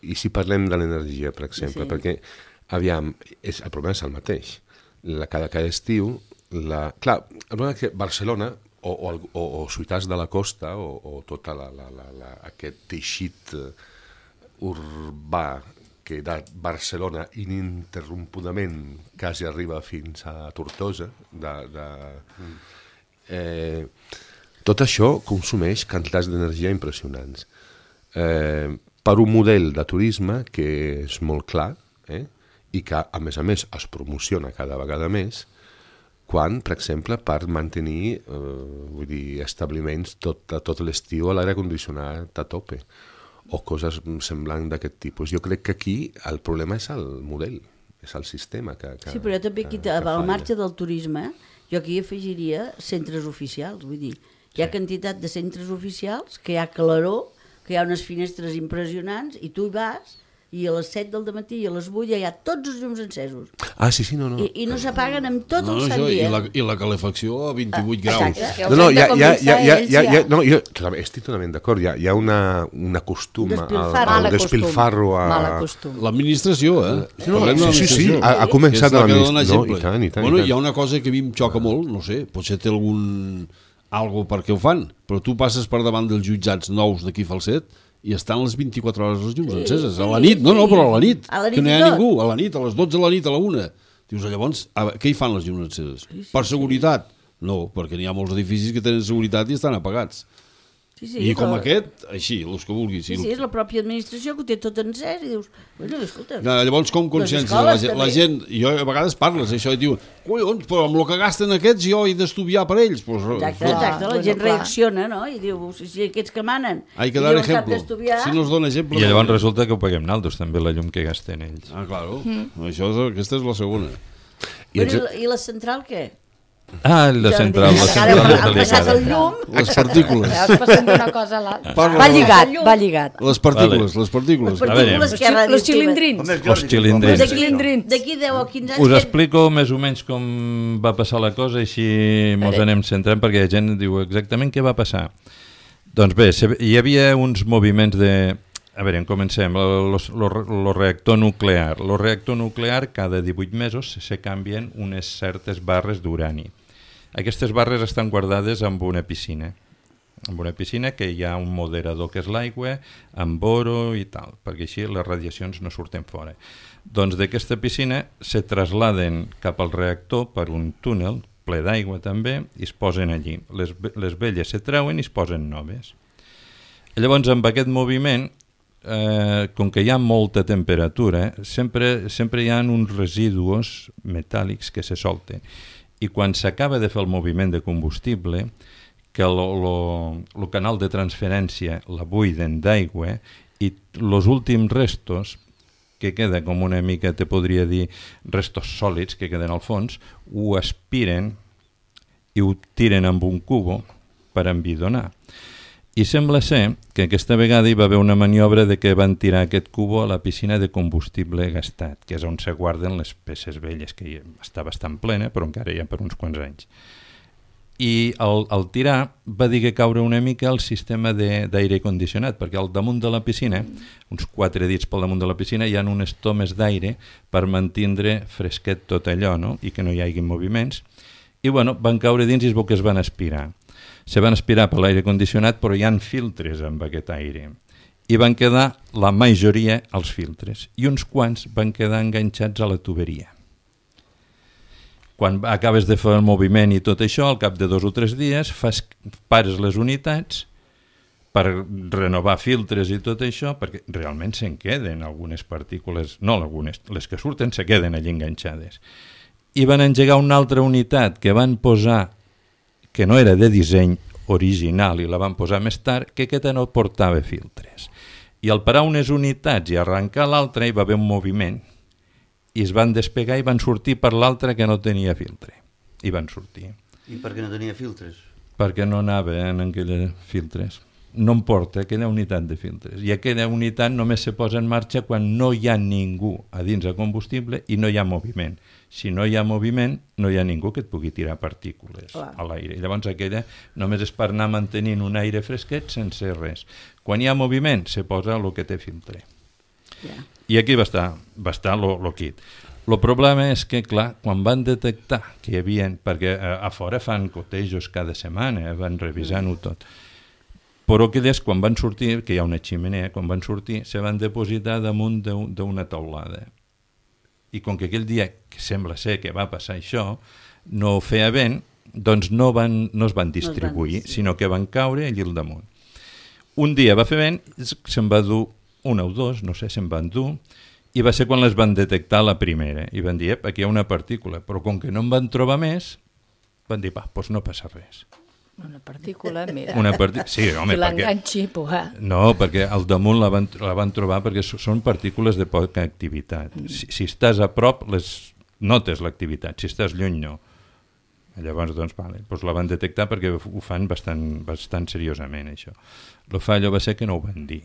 I si parlem de l'energia, per exemple, perquè, aviam, el problema és el mateix. Cada estiu, clar, el problema és que Barcelona, o ciutats de la costa, o tot aquest teixit urbà que de Barcelona ininterrompudament quasi arriba fins a Tortosa, tot això consumeix quantitats d'energia impressionants. Per un model de turisme que és molt clar i que, a més, es promociona cada vegada més, quan, per exemple, per mantenir establiments tot l'estiu a l'aire condicionat a tope, o coses semblants d'aquest tipus. Jo crec que aquí el problema és el model, és el sistema que sí, però jo també aquí, al marge del turisme, jo aquí afegiria centres oficials, vull dir, hi ha quantitat de centres oficials que hi ha claror, que hi ha unes finestres impressionants i tu hi vas i a les 7 del matí i a les 8 ja hi ha tots els llums encesos. Ah, sí, no. I no s'apaguen amb tot el sant dia. I la calefacció a 28 graus. No, jo estic totalment d'acord. Hi ha un acostum al despilfarro. L'administració, Sí, ha començat a l'administració. I tant. Bueno, hi ha una cosa que a mi em xoca molt, no sé, potser té algo perquè ho fan, però tu passes per davant dels jutjats nous d'aquí Falset i estan les 24 hores els llums enceses. A la nit, però a la nit, que no hi ha ningú, a la nit, a les 12 de la nit, a la 1. Dius, llavors, què hi fan les llums enceses? Per seguretat? No, perquè n'hi ha molts edificis que tenen seguretat i estan apagats. I com aquest, així, els que vulguis. Sí, és la pròpia administració que ho té tot encès i dius, bueno, escolta... Llavors, com consciència la gent, jo a vegades parles això i diu, collons, però amb el que gasten aquests jo he d'estudiar per ells. Exacte, la gent reacciona, no? I diu, si aquests que manen... Hay que dar ejemplo, si no es dona exemple... I llavors resulta que ho paguem naldos, també, la llum que gasten ells. Ah, claro, aquesta és la segona. I la central què? Ah, la central és delicada. Les partícules. Passem d'una cosa a l'altra. Va lligat. Les partícules. Los xilindrins. D'aquí 10 o 15 anys... Us explico més o menys com va passar la cosa i així mos anem centrant perquè la gent diu exactament què va passar. Doncs bé, hi havia uns moviments de... A veure, comencem. El reactor nuclear. El reactor nuclear cada 18 mesos se canvien unes certes barres d'urani. Aquestes barres estan guardades en una piscina. En una piscina que hi ha un moderador que és l'aigua, amb boro i tal, perquè així les radiacions no surten fora. Doncs d'aquesta piscina se trasladen cap al reactor per un túnel ple d'aigua també i es posen allí. Les velles se treuen i es posen noves. Llavors, amb aquest moviment, com que hi ha molta temperatura, sempre hi ha uns residus metàl·lics que se solten. I quan s'acaba de fer el moviment de combustible, que el canal de transferència la buiden d'aigua i els últims restos, que queda com una mica, te podria dir, restos sòlids que queden al fons, ho aspiren i ho tiren amb un cubo per envidonar. I sembla ser que aquesta vegada hi va haver una maniobra de que van tirar aquest cubo a la piscina de combustible gastat, que és on se guarden les peces velles, que està bastant plena, però encara hi ha per uns quants anys. I al tirar va dir que caure una mica el sistema d'aire condicionat, perquè al damunt de la piscina, uns 4 dits pel damunt de la piscina, hi ha unes tomes d'aire per mantindre fresquet tot allò, no? I que no hi hagi moviments. I bueno, van caure dins i es veu que es van aspirar. Se van aspirar per l'aire condicionat, però hi ha filtres amb aquest aire. I van quedar la majoria als filtres. I uns quants van quedar enganxats a la tuberia. Quan acabes de fer el moviment i tot això, al cap de 2 o 3 dies, pares les unitats per renovar filtres i tot això, perquè realment se'n queden algunes partícules, no algunes, les que surten se queden allí enganxades. I van engegar una altra unitat que van posar, que no era de disseny original i la van posar més tard, que aquesta no portava filtres. I al parar unes unitats i arrencar l'altra hi va haver un moviment i es van despegar i van sortir per l'altra que no tenia filtre. I van sortir. I per què no tenia filtres? Perquè no anava en aquelles filtres. No em porta aquella unitat de filtres. I aquella unitat només se posa en marxa quan no hi ha ningú a dins de combustible i no hi ha moviment. Si no hi ha moviment, no hi ha ningú que et pugui tirar partícules a l'aire. Llavors aquella només és per anar mantenint un aire fresquet sense res. Quan hi ha moviment, se posa el que té filtre. I aquí va estar el kit. El problema és que, clar, quan van detectar que hi havia... Perquè a fora fan cotejos cada setmana, van revisant-ho tot. Però aquelles, quan van sortir, que hi ha una ximenea, quan van sortir, se van depositar damunt d'una taulada. I com que aquell dia, que sembla ser que va passar això, no feia vent, doncs no es van distribuir, sinó que van caure allí al damunt. Un dia va fer vent, se'n va dur una o dos, no sé, se'n van dur, i va ser quan les van detectar la primera. I van dir, aquí hi ha una partícula, però com que no en van trobar més, van dir, doncs no passa res. Una partícula, mira. Sí, home, que l'enganxi, No, perquè al damunt la van trobar perquè són partícules de poca activitat. Si estàs a prop, notes l'activitat, si estàs lluny, no. Llavors, doncs la van detectar perquè ho fan bastant seriosament, això. El fallo va ser que no ho van dir.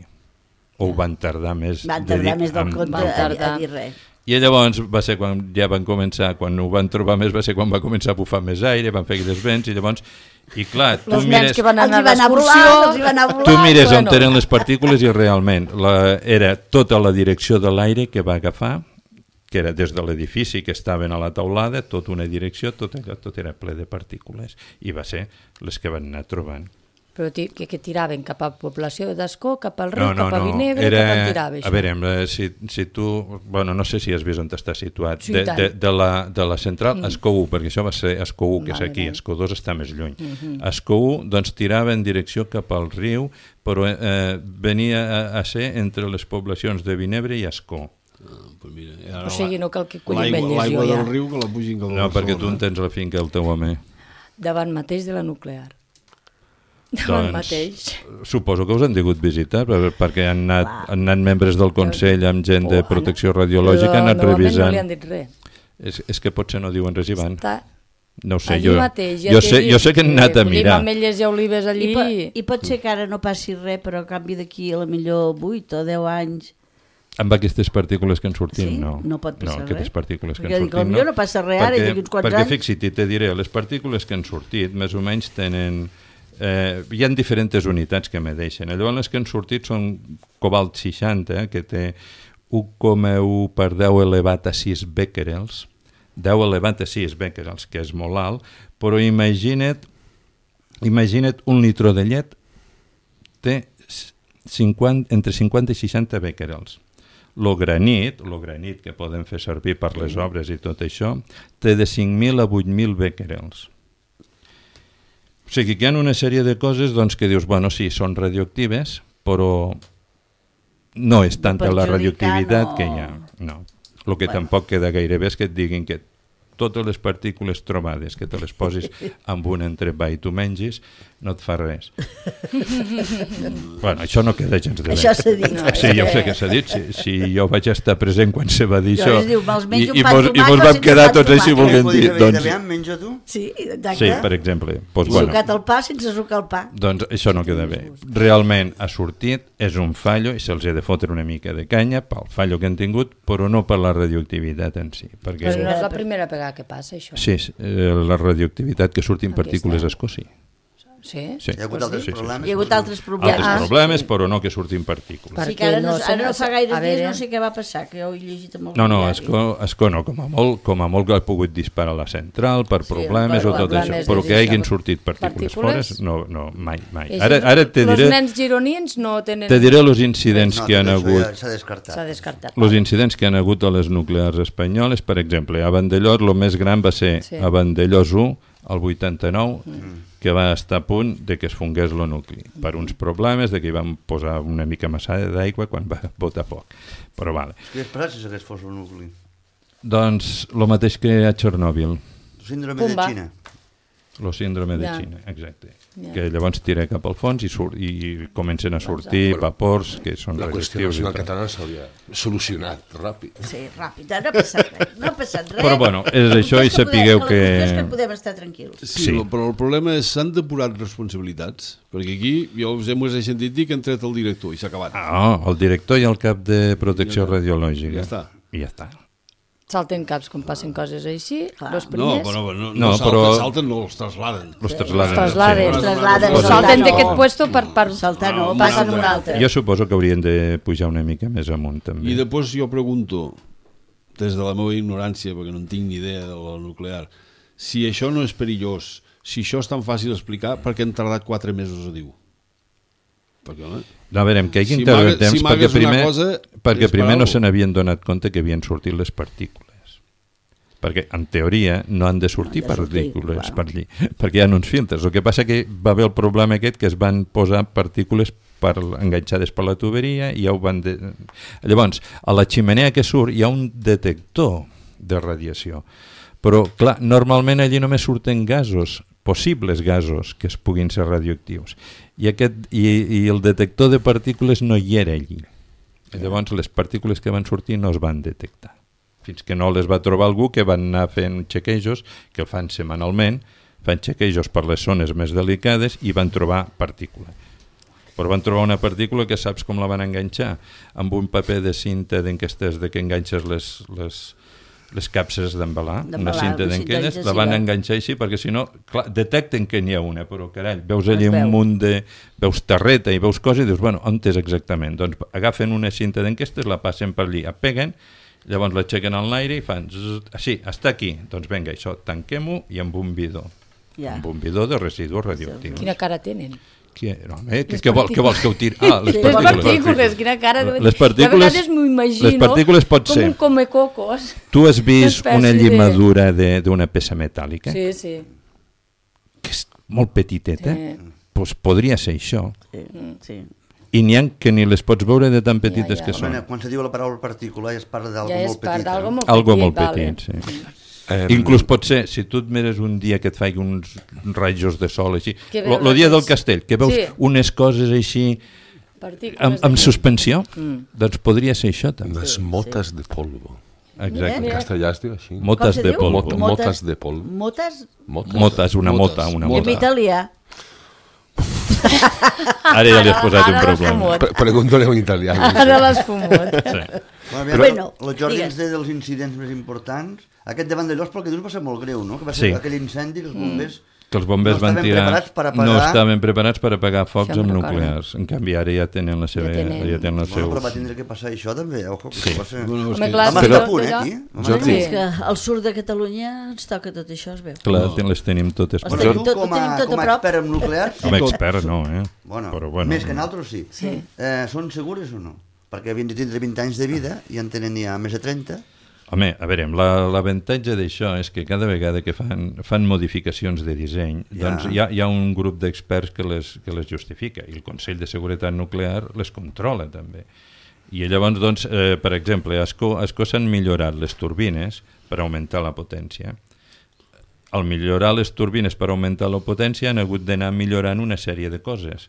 O ho van tardar més. Van tardar més del compte a dir res. I llavors va ser quan ja van començar, quan ho van trobar més, va ser quan va començar a bufar més aire, van fer aquells vents, i llavors, i clar, tu mires... que van anar a l'excursió... Tu mires on eren les partícules i realment era tota la direcció de l'aire que va agafar, que era des de l'edifici que estaven a la taulada, tota una direcció, tot era ple de partícules, i va ser les que van anar trobant. Però que tiraven cap a població d'Ascó, cap al riu, cap a Vinebre, cap on tirava això? A veure, si tu... Bueno, no sé si has vist on està situat. De la central, Ascó 1, perquè això va ser Ascó 1, que és aquí, Ascó 2 està més lluny. Ascó 1, doncs, tirava en direcció cap al riu, però venia a ser entre les poblacions de Vinebre i Ascó. O sigui, no cal que collim ell l'aigua del riu que la pugin cap a Barcelona. No, perquè tu en tens la finca del teu home. Davant mateix de la nuclear. Davant mateix. Suposo que us han tingut visitar, perquè han anat membres del Consell amb gent de protecció radiològica, han anat revisant. No li han dit res. És que potser no diuen res i van. No ho sé, jo sé que han anat a mirar. Collim ametlles i olives allí. I pot ser que ara no passi res, però a canvi d'aquí a la millor 8 o 10 anys... Amb aquestes partícules que han sortit, no. No pot passar res. Aquestes partícules que han sortit, no. No passa res ara, d'aquí uns quants anys. Perquè fixa't, te diré, les partícules que han sortit, més o menys tenen... hi ha diferents unitats que medeixen. Llavors les que han sortit són cobalt 60, que té 1,1 per 10 elevat a 6 becquerels, 10 elevat a 6 becquerels, que és molt alt, però imagina't un litró de llet té entre 50 i 60 becquerels. Lo granit que poden fer servir per les obres i tot això, té de 5.000 a 8.000 becquerels. O sigui que hi ha una sèrie de coses doncs, que dius, bueno, sí, són radioactives, però no és tanta la radioactivitat que hi ha. No. El que tampoc queda gaire bé és que et diguin que totes les partícules trobades, que te les posis amb un entrepà i tu mengis, no et fa res. Bueno, això no queda gens de bé. Això s'ha dit. Sí, jo sé que s'ha dit. Si jo vaig estar present quan se va dir això i mos vam quedar tots així volent dir. Menja tu? Sí, exacte. Sí, per exemple. Sucat el pa sense sucar el pa. Doncs això no queda bé. Realment ha sortit, és un fallo i se'ls ha de fotre una mica de canya pel fallo que han tingut, però no per la radioactivitat en si. Però no és la primera vegada que passa això. Sí, la radioactivitat que surtin partícules d'Ascó, sí. Sí? Hi ha hagut altres problemes? Hi ha hagut altres problemes. Altres problemes, però no que surtin partícules. Sí, que ara no fa gaire dies no sé què va passar, que jo ho he llegit amb el No, Ascó no, com a molt que ha pogut disparar la central per problemes o tot això, però que hagin sortit partícules fora, no, mai. Ara te diré... Els nens gironins no tenen... Te diré els incidents que han hagut... S'ha descartat. Els incidents que han hagut a les nuclears espanyoles, per exemple, a Vandellós, el més gran va ser a Vandellós 1, el 89, que va estar a punt de que es fongués el nucli, per uns problemes de que hi van posar una mica massa d'aigua quan va botar foc. Però vale. Què esperat si s'hagués fos el nucli? Doncs el mateix que a Txernòbil. El síndrome de Xina. El síndrome de Xina, exacte. Que llavors tira cap al fons i comencen a sortir vapors que són la qüestió radioactius. nacional catalana s'hauria solucionat ràpid. Sí, ràpid, no ha passat res. Però bueno, és això i sapigueu que... És que podem estar tranquils. Sí, però el problema és s'han depurat responsabilitats, perquè aquí jo us he sentit dir que han tret el director i s'ha acabat. El director i el cap de protecció radiològica. Ja està. I ja està. Salten caps quan passen coses així, els primers... No, però salten, no, els trasladen. Els trasladen. Salten d'aquest puesto per saltar, no, passen un altre. Jo suposo que haurien de pujar una mica més amunt, també. I després jo pregunto, des de la meva ignorància, perquè no en tinc ni idea de la nuclear, si això no és perillós, si això és tan fàcil d'explicar, per què han tardat 4 mesos a dir-ho? Perquè, no, a veure, que hagi tardat temps perquè primer no se n'havien donat compte que havien sortit les partícules, perquè en teoria no han de sortir partícules per allí, perquè hi ha uns filtres. El que passa que va haver el problema aquest que es van posar partícules enganxades per la tuberia i ja ho van... Llavors, a la xemeneia que surt hi ha un detector de radiació, però clar, normalment allí només surten gasos, possibles gasos que es puguin ser radioactius. I el detector de partícules no hi era allí. Llavors les partícules que van sortir no es van detectar. Fins que no les va trobar algú que van anar fent chequejos, que el fan setmanalment, fan chequejos per les zones més delicades i van trobar partícules. Però van trobar una partícula que saps com la van enganxar? Amb un paper de cinta d'enquestes de que enganxes les capses d'embalar, una cinta d'enquelles, la van enganxar així perquè si no, clar, detecten que n'hi ha una, però carall, veus allà un munt de... veus terreta i veus coses i dius, bueno, on és exactament? Doncs agafen una cinta d'enquestes, la passen per allí, apeguen, llavors l'aixequen al l'aire i fan, sí, està aquí, doncs vinga, això, tanquem-ho i amb un bidó. Amb un bidó de residus radioactius. Quina cara tenen? No, què vols que ho tiri? Les partícules, quina cara. Les partícules, de vegades m'ho imagino les partícules pot com ser. un comecocos. Tu has vist una llimadura d'una peça metàl·lica? Sí, sí. Que és molt petiteta? Doncs podria ser això. Sí. I n'hi ha que ni les pots veure de tan petites que són. Quan se diu la paraula partícula ja es parla d'algo molt petit. Ja es parla d'algo molt petit. Algo molt petit, sí. Inclús pot ser, si tu et mires un dia que et faig uns rajos de sol així, el dia del castell, que veus unes coses així amb suspensió, doncs podria ser això també. Unes motes de polvo. Exacte. En castellà es diu així. Motes de polvo. Motes de polvo. Motes? Motes, una mota. I en italià? Ara ja li has posat un problema. Pregúntale a un italià. Ara l'has fumut. Bueno, el Jordi ens deia dels incidents més importants. Aquest davant de Llos, pel que dius, va ser molt greu, no? Que va ser aquell incendi que els bombers... Que els bombers van tirar... No estaven preparats per apagar focs amb nuclears. En canvi, ara ja tenen la seva... Però va tindre que passar això també, ojo, que va ser... Home, clar, estar a punt, aquí. És que al sud de Catalunya ens toca tot això, es veu. Clar, les tenim totes. Però tu, com a expert en nuclears... Com a expert, no, eh? Bueno, més que nosaltres sí. Són segures o no? Perquè havien de tindre 20 anys de vida i en tenen ja més de 30... Home, a veure, l'avantatge d'això és que cada vegada que fan modificacions de disseny, doncs hi ha un grup d'experts que les justifica i el Consell de Seguretat Nuclear les controla també. I llavors, doncs, per exemple, a Ascó s'han millorat les turbines per augmentar la potència. Al millorar les turbines per augmentar la potència han hagut d'anar millorant una sèrie de coses.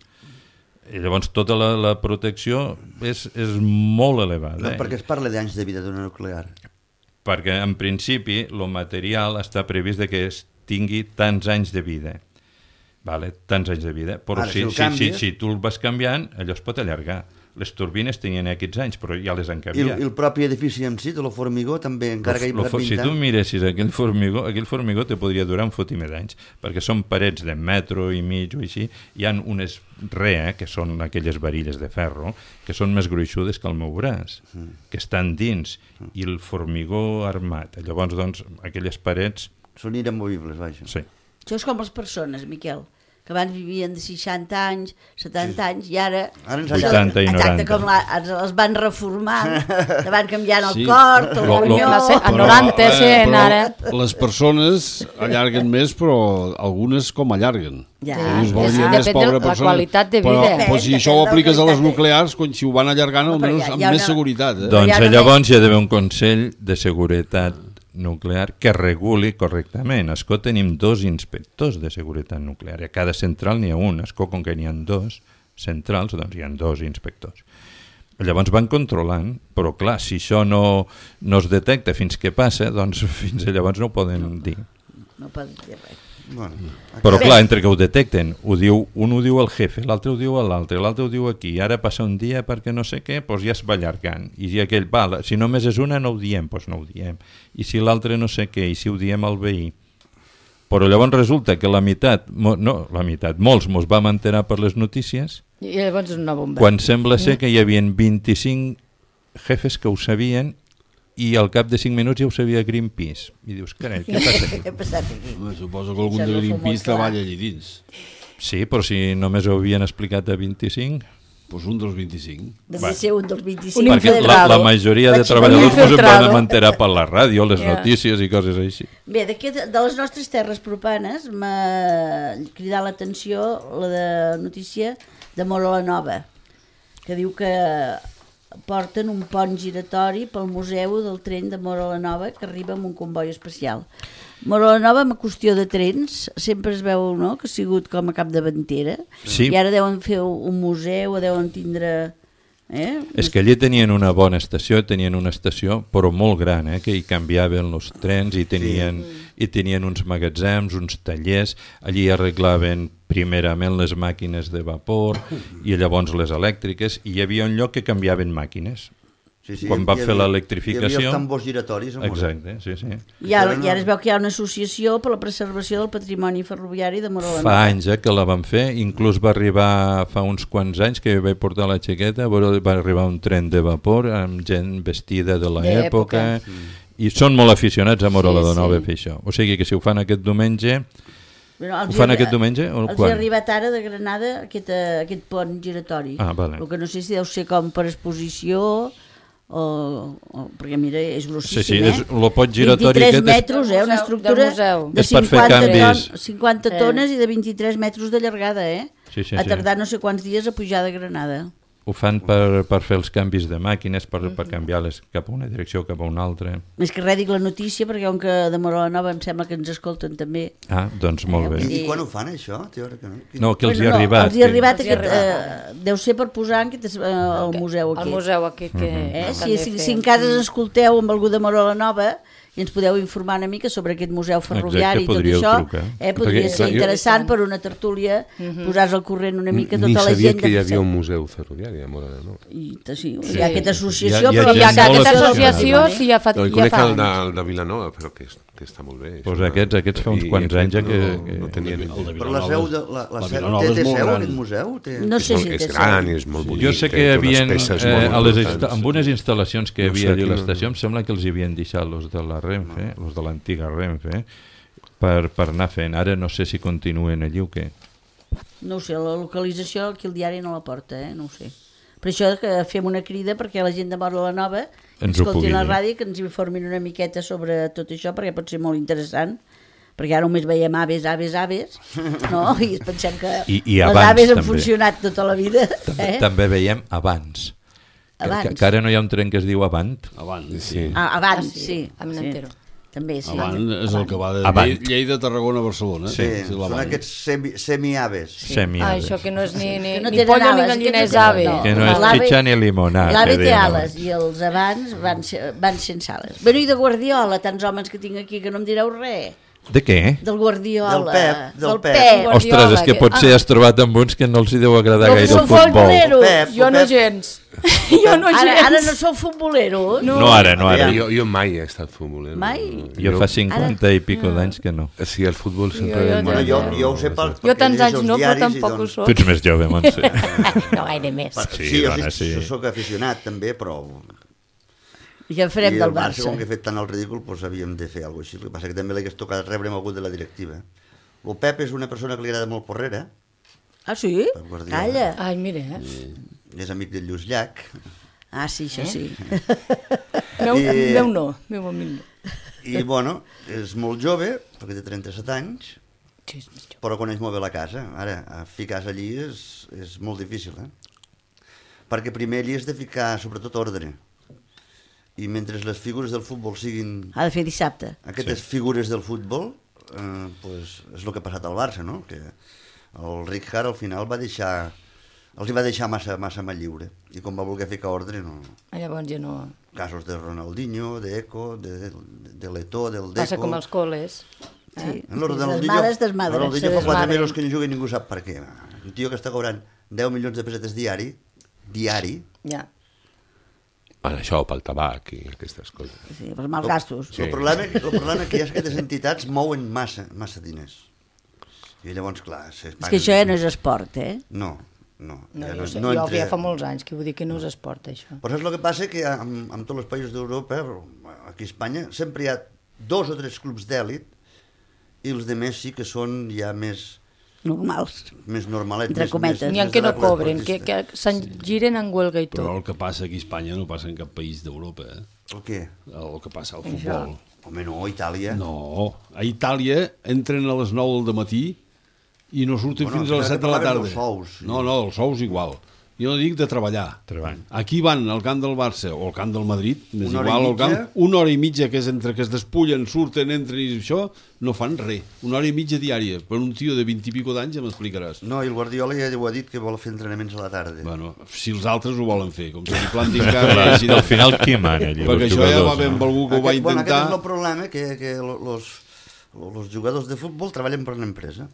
I llavors tota la protecció és molt elevada. Per què es parla d'anys de vida d'una nuclear? Perquè en principi el material està previst que es tingui tants anys de vida. Tants anys de vida. Però si tu el vas canviant, allò es pot allargar. Les turbines tenien aquests anys, però ja les han canviat. I el propi edifici en si, de lo formigó, també, encara que hi ha 20 anys. Si tu miressis aquell formigó te podria durar un fotimer d'anys, perquè són parets de metro i mig o així, hi ha unes que són aquelles varilles de ferro, que són més gruixudes que el meu braç, que estan dins, i el formigó armat. Llavors, doncs, aquelles parets... Són inamovibles, vaja. Sí. Això és com les persones, Miquel, que abans vivien de 60 anys, 70 anys, i ara 80 i 90. Exacte, com els van reformant, van canviant el cor, el ronyó... A 90, ara. Les persones allarguen més, però algunes com allarguen. Depèn de la qualitat de vida. Però si això ho apliques a les nuclears, si ho van allargant, almenys amb més seguretat. Doncs llavors hi ha d'haver un Consell de Seguretat Nuclear que reguli correctament. A Ascó tenim 2 inspectors de seguretat nuclear. A cada central n'hi ha un. A Ascó, com que n'hi ha 2 centrals, doncs hi ha 2 inspectors. Llavors van controlant, però clar, si això no es detecta fins que passa, doncs fins llavors no ho poden dir. No poden dir res. Però clar, entre que ho detecten, un ho diu al jefe, l'altre ho diu a l'altre ho diu aquí, ara passa un dia perquè no sé què, doncs ja es va allargant, i si aquell, si només és una no ho diem, doncs no ho diem, i si l'altre no sé què, i si ho diem al veí. Però llavors resulta que molts mos vam enterar per les notícies, i llavors és una bomba. Quan sembla ser que hi havia 25 jefes que ho sabien i al cap de 5 minuts ja ho sabia Greenpeace. I dius, carai, què passa aquí? Suposo que algun de Greenpeace treballa allà dins. Sí, però si només ho havien explicat a 25... Doncs un dels 25. Devia ser un dels 25. Perquè la majoria de treballadors ens vam enterar per la ràdio, les notícies i coses així. Bé, de les nostres terres propanes m'ha cridat l'atenció la de notícia de Móra la Nova, que diu que porten un pont giratori pel museu del tren de Móra la Nova que arriba amb un comboi especial. Móra la Nova, amb qüestió de trens, sempre es veu, no?, que ha sigut com a capdavantera, i ara deuen fer un museu, deuen tindre... És que allí tenien una bona estació, tenien una estació però molt gran, que hi canviaven els trens i tenien uns magatzems, uns tallers, allí arreglaven primerament les màquines de vapor i llavors les elèctriques, i hi havia un lloc que canviaven màquines. Quan va fer l'electrificació... Hi havia els tambors giratoris. Exacte, sí. I ara es veu que hi ha una associació per la preservació del patrimoni ferroviari de Móra la Nova. Fa anys que la van fer, inclús va arribar fa uns quants anys que vaig portar la xiqueta, va arribar un tren de vapor amb gent vestida de l'època, i són molt aficionats a Móra la Nova a fer això. O sigui que si ho fan aquest diumenge... Ho fan aquest diumenge? Els hi ha arribat ara de Granada aquest pont giratori. El que no sé si deu ser com per exposició... perquè mira, és grossíssim, el pot giratori 23 metres, una estructura de 50 tones i de 23 metres de llargada, ha tardat no sé quants dies a pujar de Granada. Ho fan per fer els canvis de màquines, per canviar-les cap a una direcció o cap a una altra. Més que res dic la notícia, perquè com que de Móra la Nova em sembla que ens escolten també. Doncs molt bé. I quan ho fan, això? No, que els hi ha arribat. Els hi ha arribat deu ser per posar al museu aquest. Al museu aquest que... Si encara escolteu amb algú de Móra la Nova i ens podeu informar una mica sobre aquest museu ferroviari i tot això, podria ser interessant per una tertúlia, posar-se al corrent una mica tota la gent. Ni sabia que hi havia un museu ferroviari a Móra la Nova. Sí, hi ha aquesta associació, però hi ha aquesta associació, sí, ja fa anys. Jo conec el de Vilanova, però que està molt bé. Doncs aquests fa uns quants anys que no tenien... Però la seu té seu aquest museu? No sé si té seu. És gran i és molt bonic. Jo sé que hi havia, amb unes instal·lacions que hi havia allà a l'estació, em sembla que els hi havien deixat els de la Renfe, els de l'antiga Renfe, per anar fent. Ara no sé si continuen allí o què. No ho sé, la localització aquí el diari no la porta, no ho sé. Per això que fem una crida perquè la gent de Móra la Nova escoltin la ràdio, que ens informin una miqueta sobre tot això, perquè pot ser molt interessant, perquè ara només veiem aves, no? I pensem que les aves han funcionat tota la vida. També veiem abans. Que ara no hi ha un tren que es diu Avant. Abans, sí. També, sí. Avant és el que va de Lleida, Tarragona, Barcelona. Sí, són aquests semi-aves. Això que no és ni pollo ni gallina, és ave. Que no és xitxa ni limonada. L'ave té ales i els abans van sense ales. Bé, i de Guardiola, tants homes que tinc aquí que no em direu res. De què? Del Guardiola. Del Pep. Ostres, és que potser has trobat amb uns que no els hi deu agradar gaire el futbol. Jo no gens. Ara no sou futboleros? No, ara. Jo mai he estat futbolero. Mai? Jo fa 50 i pico d'anys que no. Sí, el futbol sempre... Jo ho sé perquè... Jo tants anys no, però tampoc ho soc. Tu ets més jove, Montse. No gaire més. Sí, jo soc aficionat també, però... I què farem del Barça? Com que he fet tant el ridícul, doncs havíem de fer alguna cosa així. El que passa que també l'hagués tocat rebre amb algú de la directiva. El Pep és una persona que li agrada molt Porrera. Ah, sí? Calla. Ai, mira, És amic del Lluís Llach. Ah, sí, això sí. Meu no, meu amic no. I, bueno, és molt jove, perquè té 37 anys, però coneix molt bé la casa. Ara, ficar-se allí és molt difícil, perquè primer allí has de ficar, sobretot, ordre. I mentre les figures del futbol siguin... Ha de fer dissabte. Aquestes figures del futbol, és el que ha passat al Barça, no? Que el Rijkaard al final els hi va deixar massa mà lliure. I com va voler ficar ordre, no... Llavors ja no... Casos de Ronaldinho, d'Eco, de Letó, del Deco... Passa com els coles. Sí, desmadres. Ronaldinho fa 4 mesos que no juga i ningú sap per què. Un tio que està cobrant 10 milions de pessetes diari... Ja. Per això, pel tabac i aquestes coses. Sí, pels malgastos. El problema que hi ha és que aquestes entitats mouen massa diners. I llavors, clar... És que això ja no és esport, No. Jo ja fa molts anys que vull dir que no és esport, això. Però saps el que passa? Que en tots els països d'Europa, aquí a Espanya, sempre hi ha 2 o 3 clubs d'èlit i els altres sí que són ja més... normals. Més normalets. Entre cometes. N'hi ha que no cobren, que se'n giren en huelga i tot. Però el que passa aquí a Espanya no passa en cap país d'Europa. El què? El que passa al futbol. Home, no, a Itàlia. No, a Itàlia entren a les 9 del matí i no surten fins a les 7 de la tarda. Els sous. No, els sous igual. Jo no dic de treballar. Aquí van al camp del Barça o al camp del Madrid, més igual al camp, 1 hora i mitja, que és entre que es despullen, surten, entren i això, no fan res. 1 hora i mitja diària. Per un tio de 20 i pico d'anys ja m'explicaràs. No, i el Guardiola ja ho ha dit que vol fer entrenaments a la tarda. Bueno, si els altres ho volen fer, com si li plantin cara... Al final qui mana? Perquè això ja va ben algú que ho va intentar... Aquest és el problema, que els jugadors de futbol treballen per l'empresa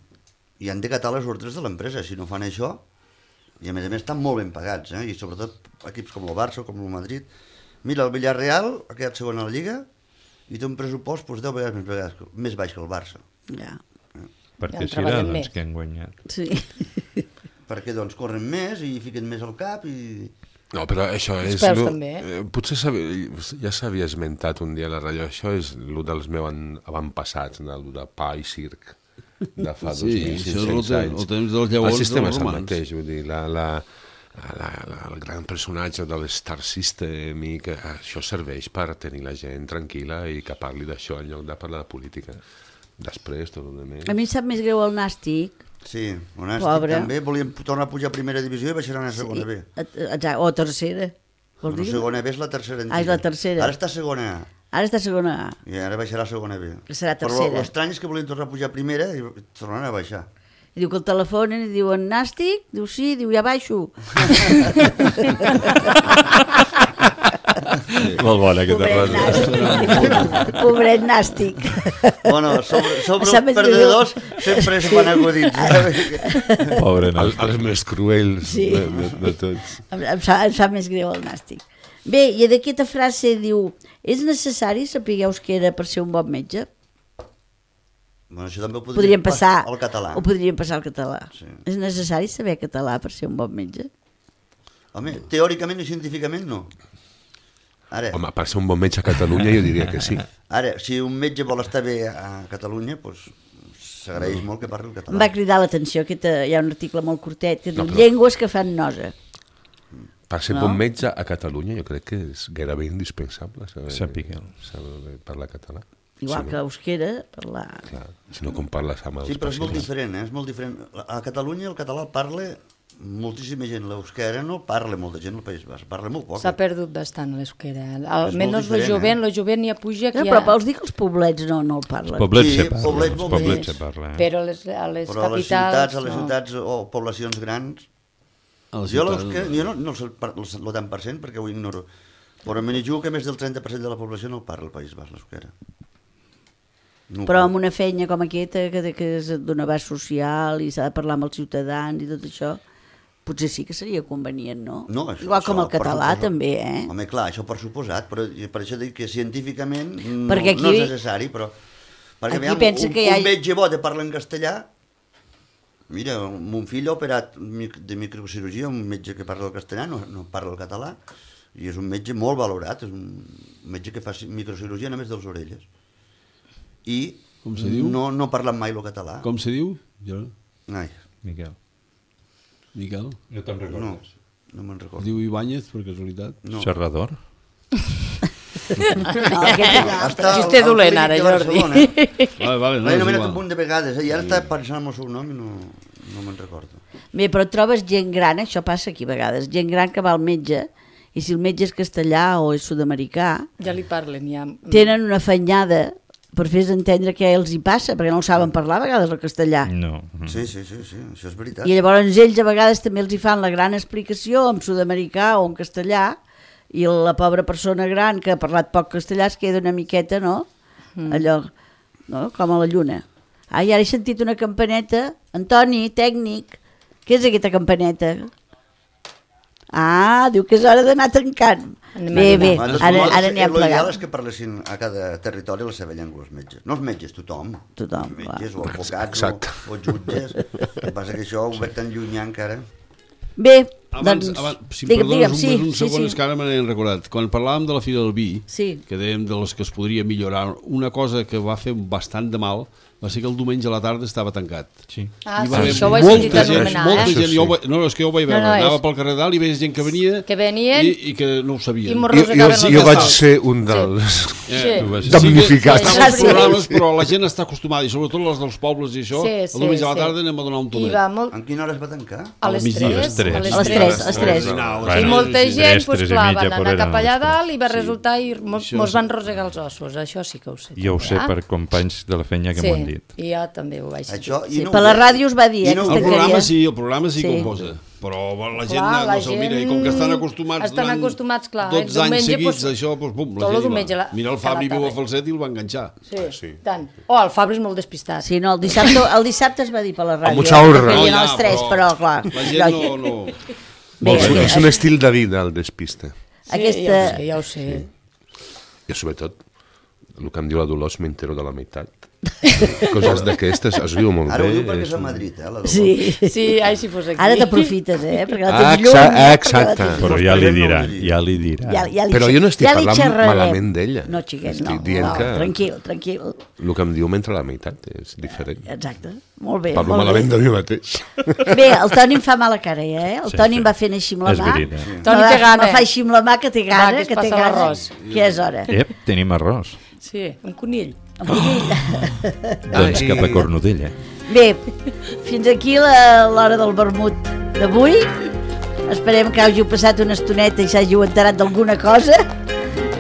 i han de catar les ordres de l'empresa. Si no fan això... I a més estan molt ben pagats, i sobretot equips com el Barça o com el Madrid. Mira, el Villarreal ha quedat segon a la Lliga i té un pressupost 10 vegades més baix que el Barça. Ja. Perquè serà doncs que han guanyat. Sí. Perquè doncs corren més i fiquen més al cap i... No, però això és... Potser ja s'havia esmentat un dia a la ràdio, això és el dels meus avantpassats, el de pa i circ. De fa 2.500 anys. El sistema és el mateix, vull dir, el gran personatge de l'Star System, i que això serveix per tenir la gent tranquil·la i que parli d'això en lloc de parlar de política. Després, tot el més. A mi em sap més greu el Nàstic. Sí, el Nàstic també. Volíem tornar a pujar a primera divisió i baixaran a segona B. O tercera. La segona B és la tercera antiga. És la tercera. Ara està a segona A. Ara està a segona A. I ara baixarà a segona B. Serà tercera. Però l'estrany és que volien tornar a pujar a primera i tornaran a baixar. I diu que el telefonen i diuen Nàstic? Diu sí, diu ja baixo. Molt bona aquesta frase. Pobret Nàstic. Bueno, sobre els perdedors sempre es fan acudits. Pobre Nàstic. Els més cruels de tots. Em fa més greu el Nàstic. Bé, i d'aquesta frase diu: és necessari saber euskera per ser un bon metge? Bueno, això també ho podríem passar al català. Ho podríem passar al català. Sí. És necessari saber català per ser un bon metge? Home, teòricament i científicament no. Ara, home, per ser un bon metge a Catalunya jo diria que sí. Ara, si un metge vol estar bé a Catalunya, doncs s'agraeix molt que parli el català. Em va cridar l'atenció, hi ha un article molt curtet que diu llengües que fan nosa. Per ser bon metge a Catalunya jo crec que és gairebé indispensable saber parlar català. Igual que euskera, parlar... Clar, si no com parles amb els pacients. Sí, però és molt diferent, és molt diferent. A Catalunya el català el parla moltíssima gent, l'euskera no parla molta gent al País Basc, parla molt poc. S'ha perdut bastant l'euskera, almenys el jovent ja puja... Però vols dir que els poblets no el parlen? Els poblets se parla. Però a les capitals... A les ciutats o poblacions grans... Jo no sé el tant per cent perquè ho ignoro, però me n'hi jugo que més del 30% de la població no el parla al País Basc, l'euskera. Però amb una feina com aquesta, que és d'un abast social i s'ha de parlar amb els ciutadans i tot això, potser sí que seria convenient, no? Igual com el català també, Home, clar, això per suposat, però per això dic que científicament no és necessari, però... Perquè un metge bo de parlar en castellà... Mira, mon fill ha operat de microcirurgia, un metge que parla el castellà, no parla el català, i és un metge molt valorat, és un metge que fa microcirurgia només de les orelles. I no parlen mai el català. Com se diu? Ai. Miquel. No te'n recordes? No me'n recordo. Diu Ibáñez, per casualitat? No. Serrador? No, xiste dolent ara, Jordi. Vale, no, només un punt de vegades, i ara està pensant en el seu nom i no me'n recordo. Bé, però trobes gent gran, això passa aquí a vegades, gent gran que va al metge, i si el metge és castellà o és sud-americà, ja li parlen, ja. Tenen una afanyada per fer-se entendre què els hi passa, perquè no ho saben parlar a vegades el castellà. No. Sí, això és veritat. I llavors ells a vegades també els hi fan la gran explicació en sud-americà o en castellà, i la pobra persona gran que ha parlat poc castellà es queda una miqueta, no? Allò, no? Com a la lluna. Ai, ara he sentit una campaneta. Antoni, tècnic, què és aquesta campaneta? Ah, diu que és hora d'anar tancant. Bé, ara n'hi ha plegat. L'ideal és que parlessin a cada territori la seva llengua, els metges. No els metges, tothom. Tothom, els metges o advocats o jutges. El que passa que això ho veig tan llunyà encara. Bé, abans, si em perdones un segon, és que ara me n'he recordat. Quan parlàvem de la Fira del Vi, que dèiem de les que es podria millorar, una cosa que va fer bastant de mal va ser que el diumenge a la tarda estava tancat. Sí. Ah, sí, això ho he sentit anomenar, molta gent, no, és que jo ho vaig veure, anava pel carrer dalt i veia gent que venia i que no ho sabien. Jo vaig ser un dels damnificats. Estaven els programes, però la gent està acostumada, i sobretot les dels pobles i això, el diumenge a la tarda anem a donar un tonet. En quina hora es va tancar? A les 3. A les 3. I molta gent, clar, van anar cap allà dalt i va resultar i mos van rosegar els ossos, això sí que ho sé. Jo ho sé per companys de la feina que m'ho han dit. I jo també ho vaig sentir. Per la ràdio es va dir, el programa sí que ho posa, però la gent no se'l mira, i com que estan acostumats durant 12 anys seguits a això, doncs bum, la gent mira el Fabri viu a Falset i el va enganxar. Sí, tant. Oh, el Fabri és molt despistat. Sí, no, el dissabte es va dir per la ràdio. A mucha honra. A les 3, però clar. La gent no... És un estil de vida, el despiste. Sí, ja ho sé. I sobretot, el que em diu la Dolors, m'entero de la meitat. Coses d'aquestes es viu molt bé. Ara ho diu perquè és a Madrid, la Dolors. Sí, ai, si fos aquí. Ara t'aprofites, perquè la tens lluny. Exacte. Però ja li dirà. Però jo no estic parlant malament d'ella. No, xiquet, no. Tranquil. El que em diu m'entra la meitat és diferent. Exacte. Molt bé. Parlo malament de mi mateix. Bé, el Toni em fa mala cara, El Toni em va fent així amb la mà. Toni té gana. Me fa així amb la mà que té gana, que té gana. Que és hora. Tenim arròs. Sí, un conill. Doncs cap a Cornudella. Bé, fins aquí l'hora del vermut d'avui. Esperem que hàgiu passat una estoneta i s'hàgiu enterat d'alguna cosa.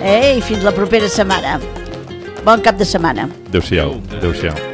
I fins la propera setmana. Bon cap de setmana. Adéu-siau. Adéu-siau.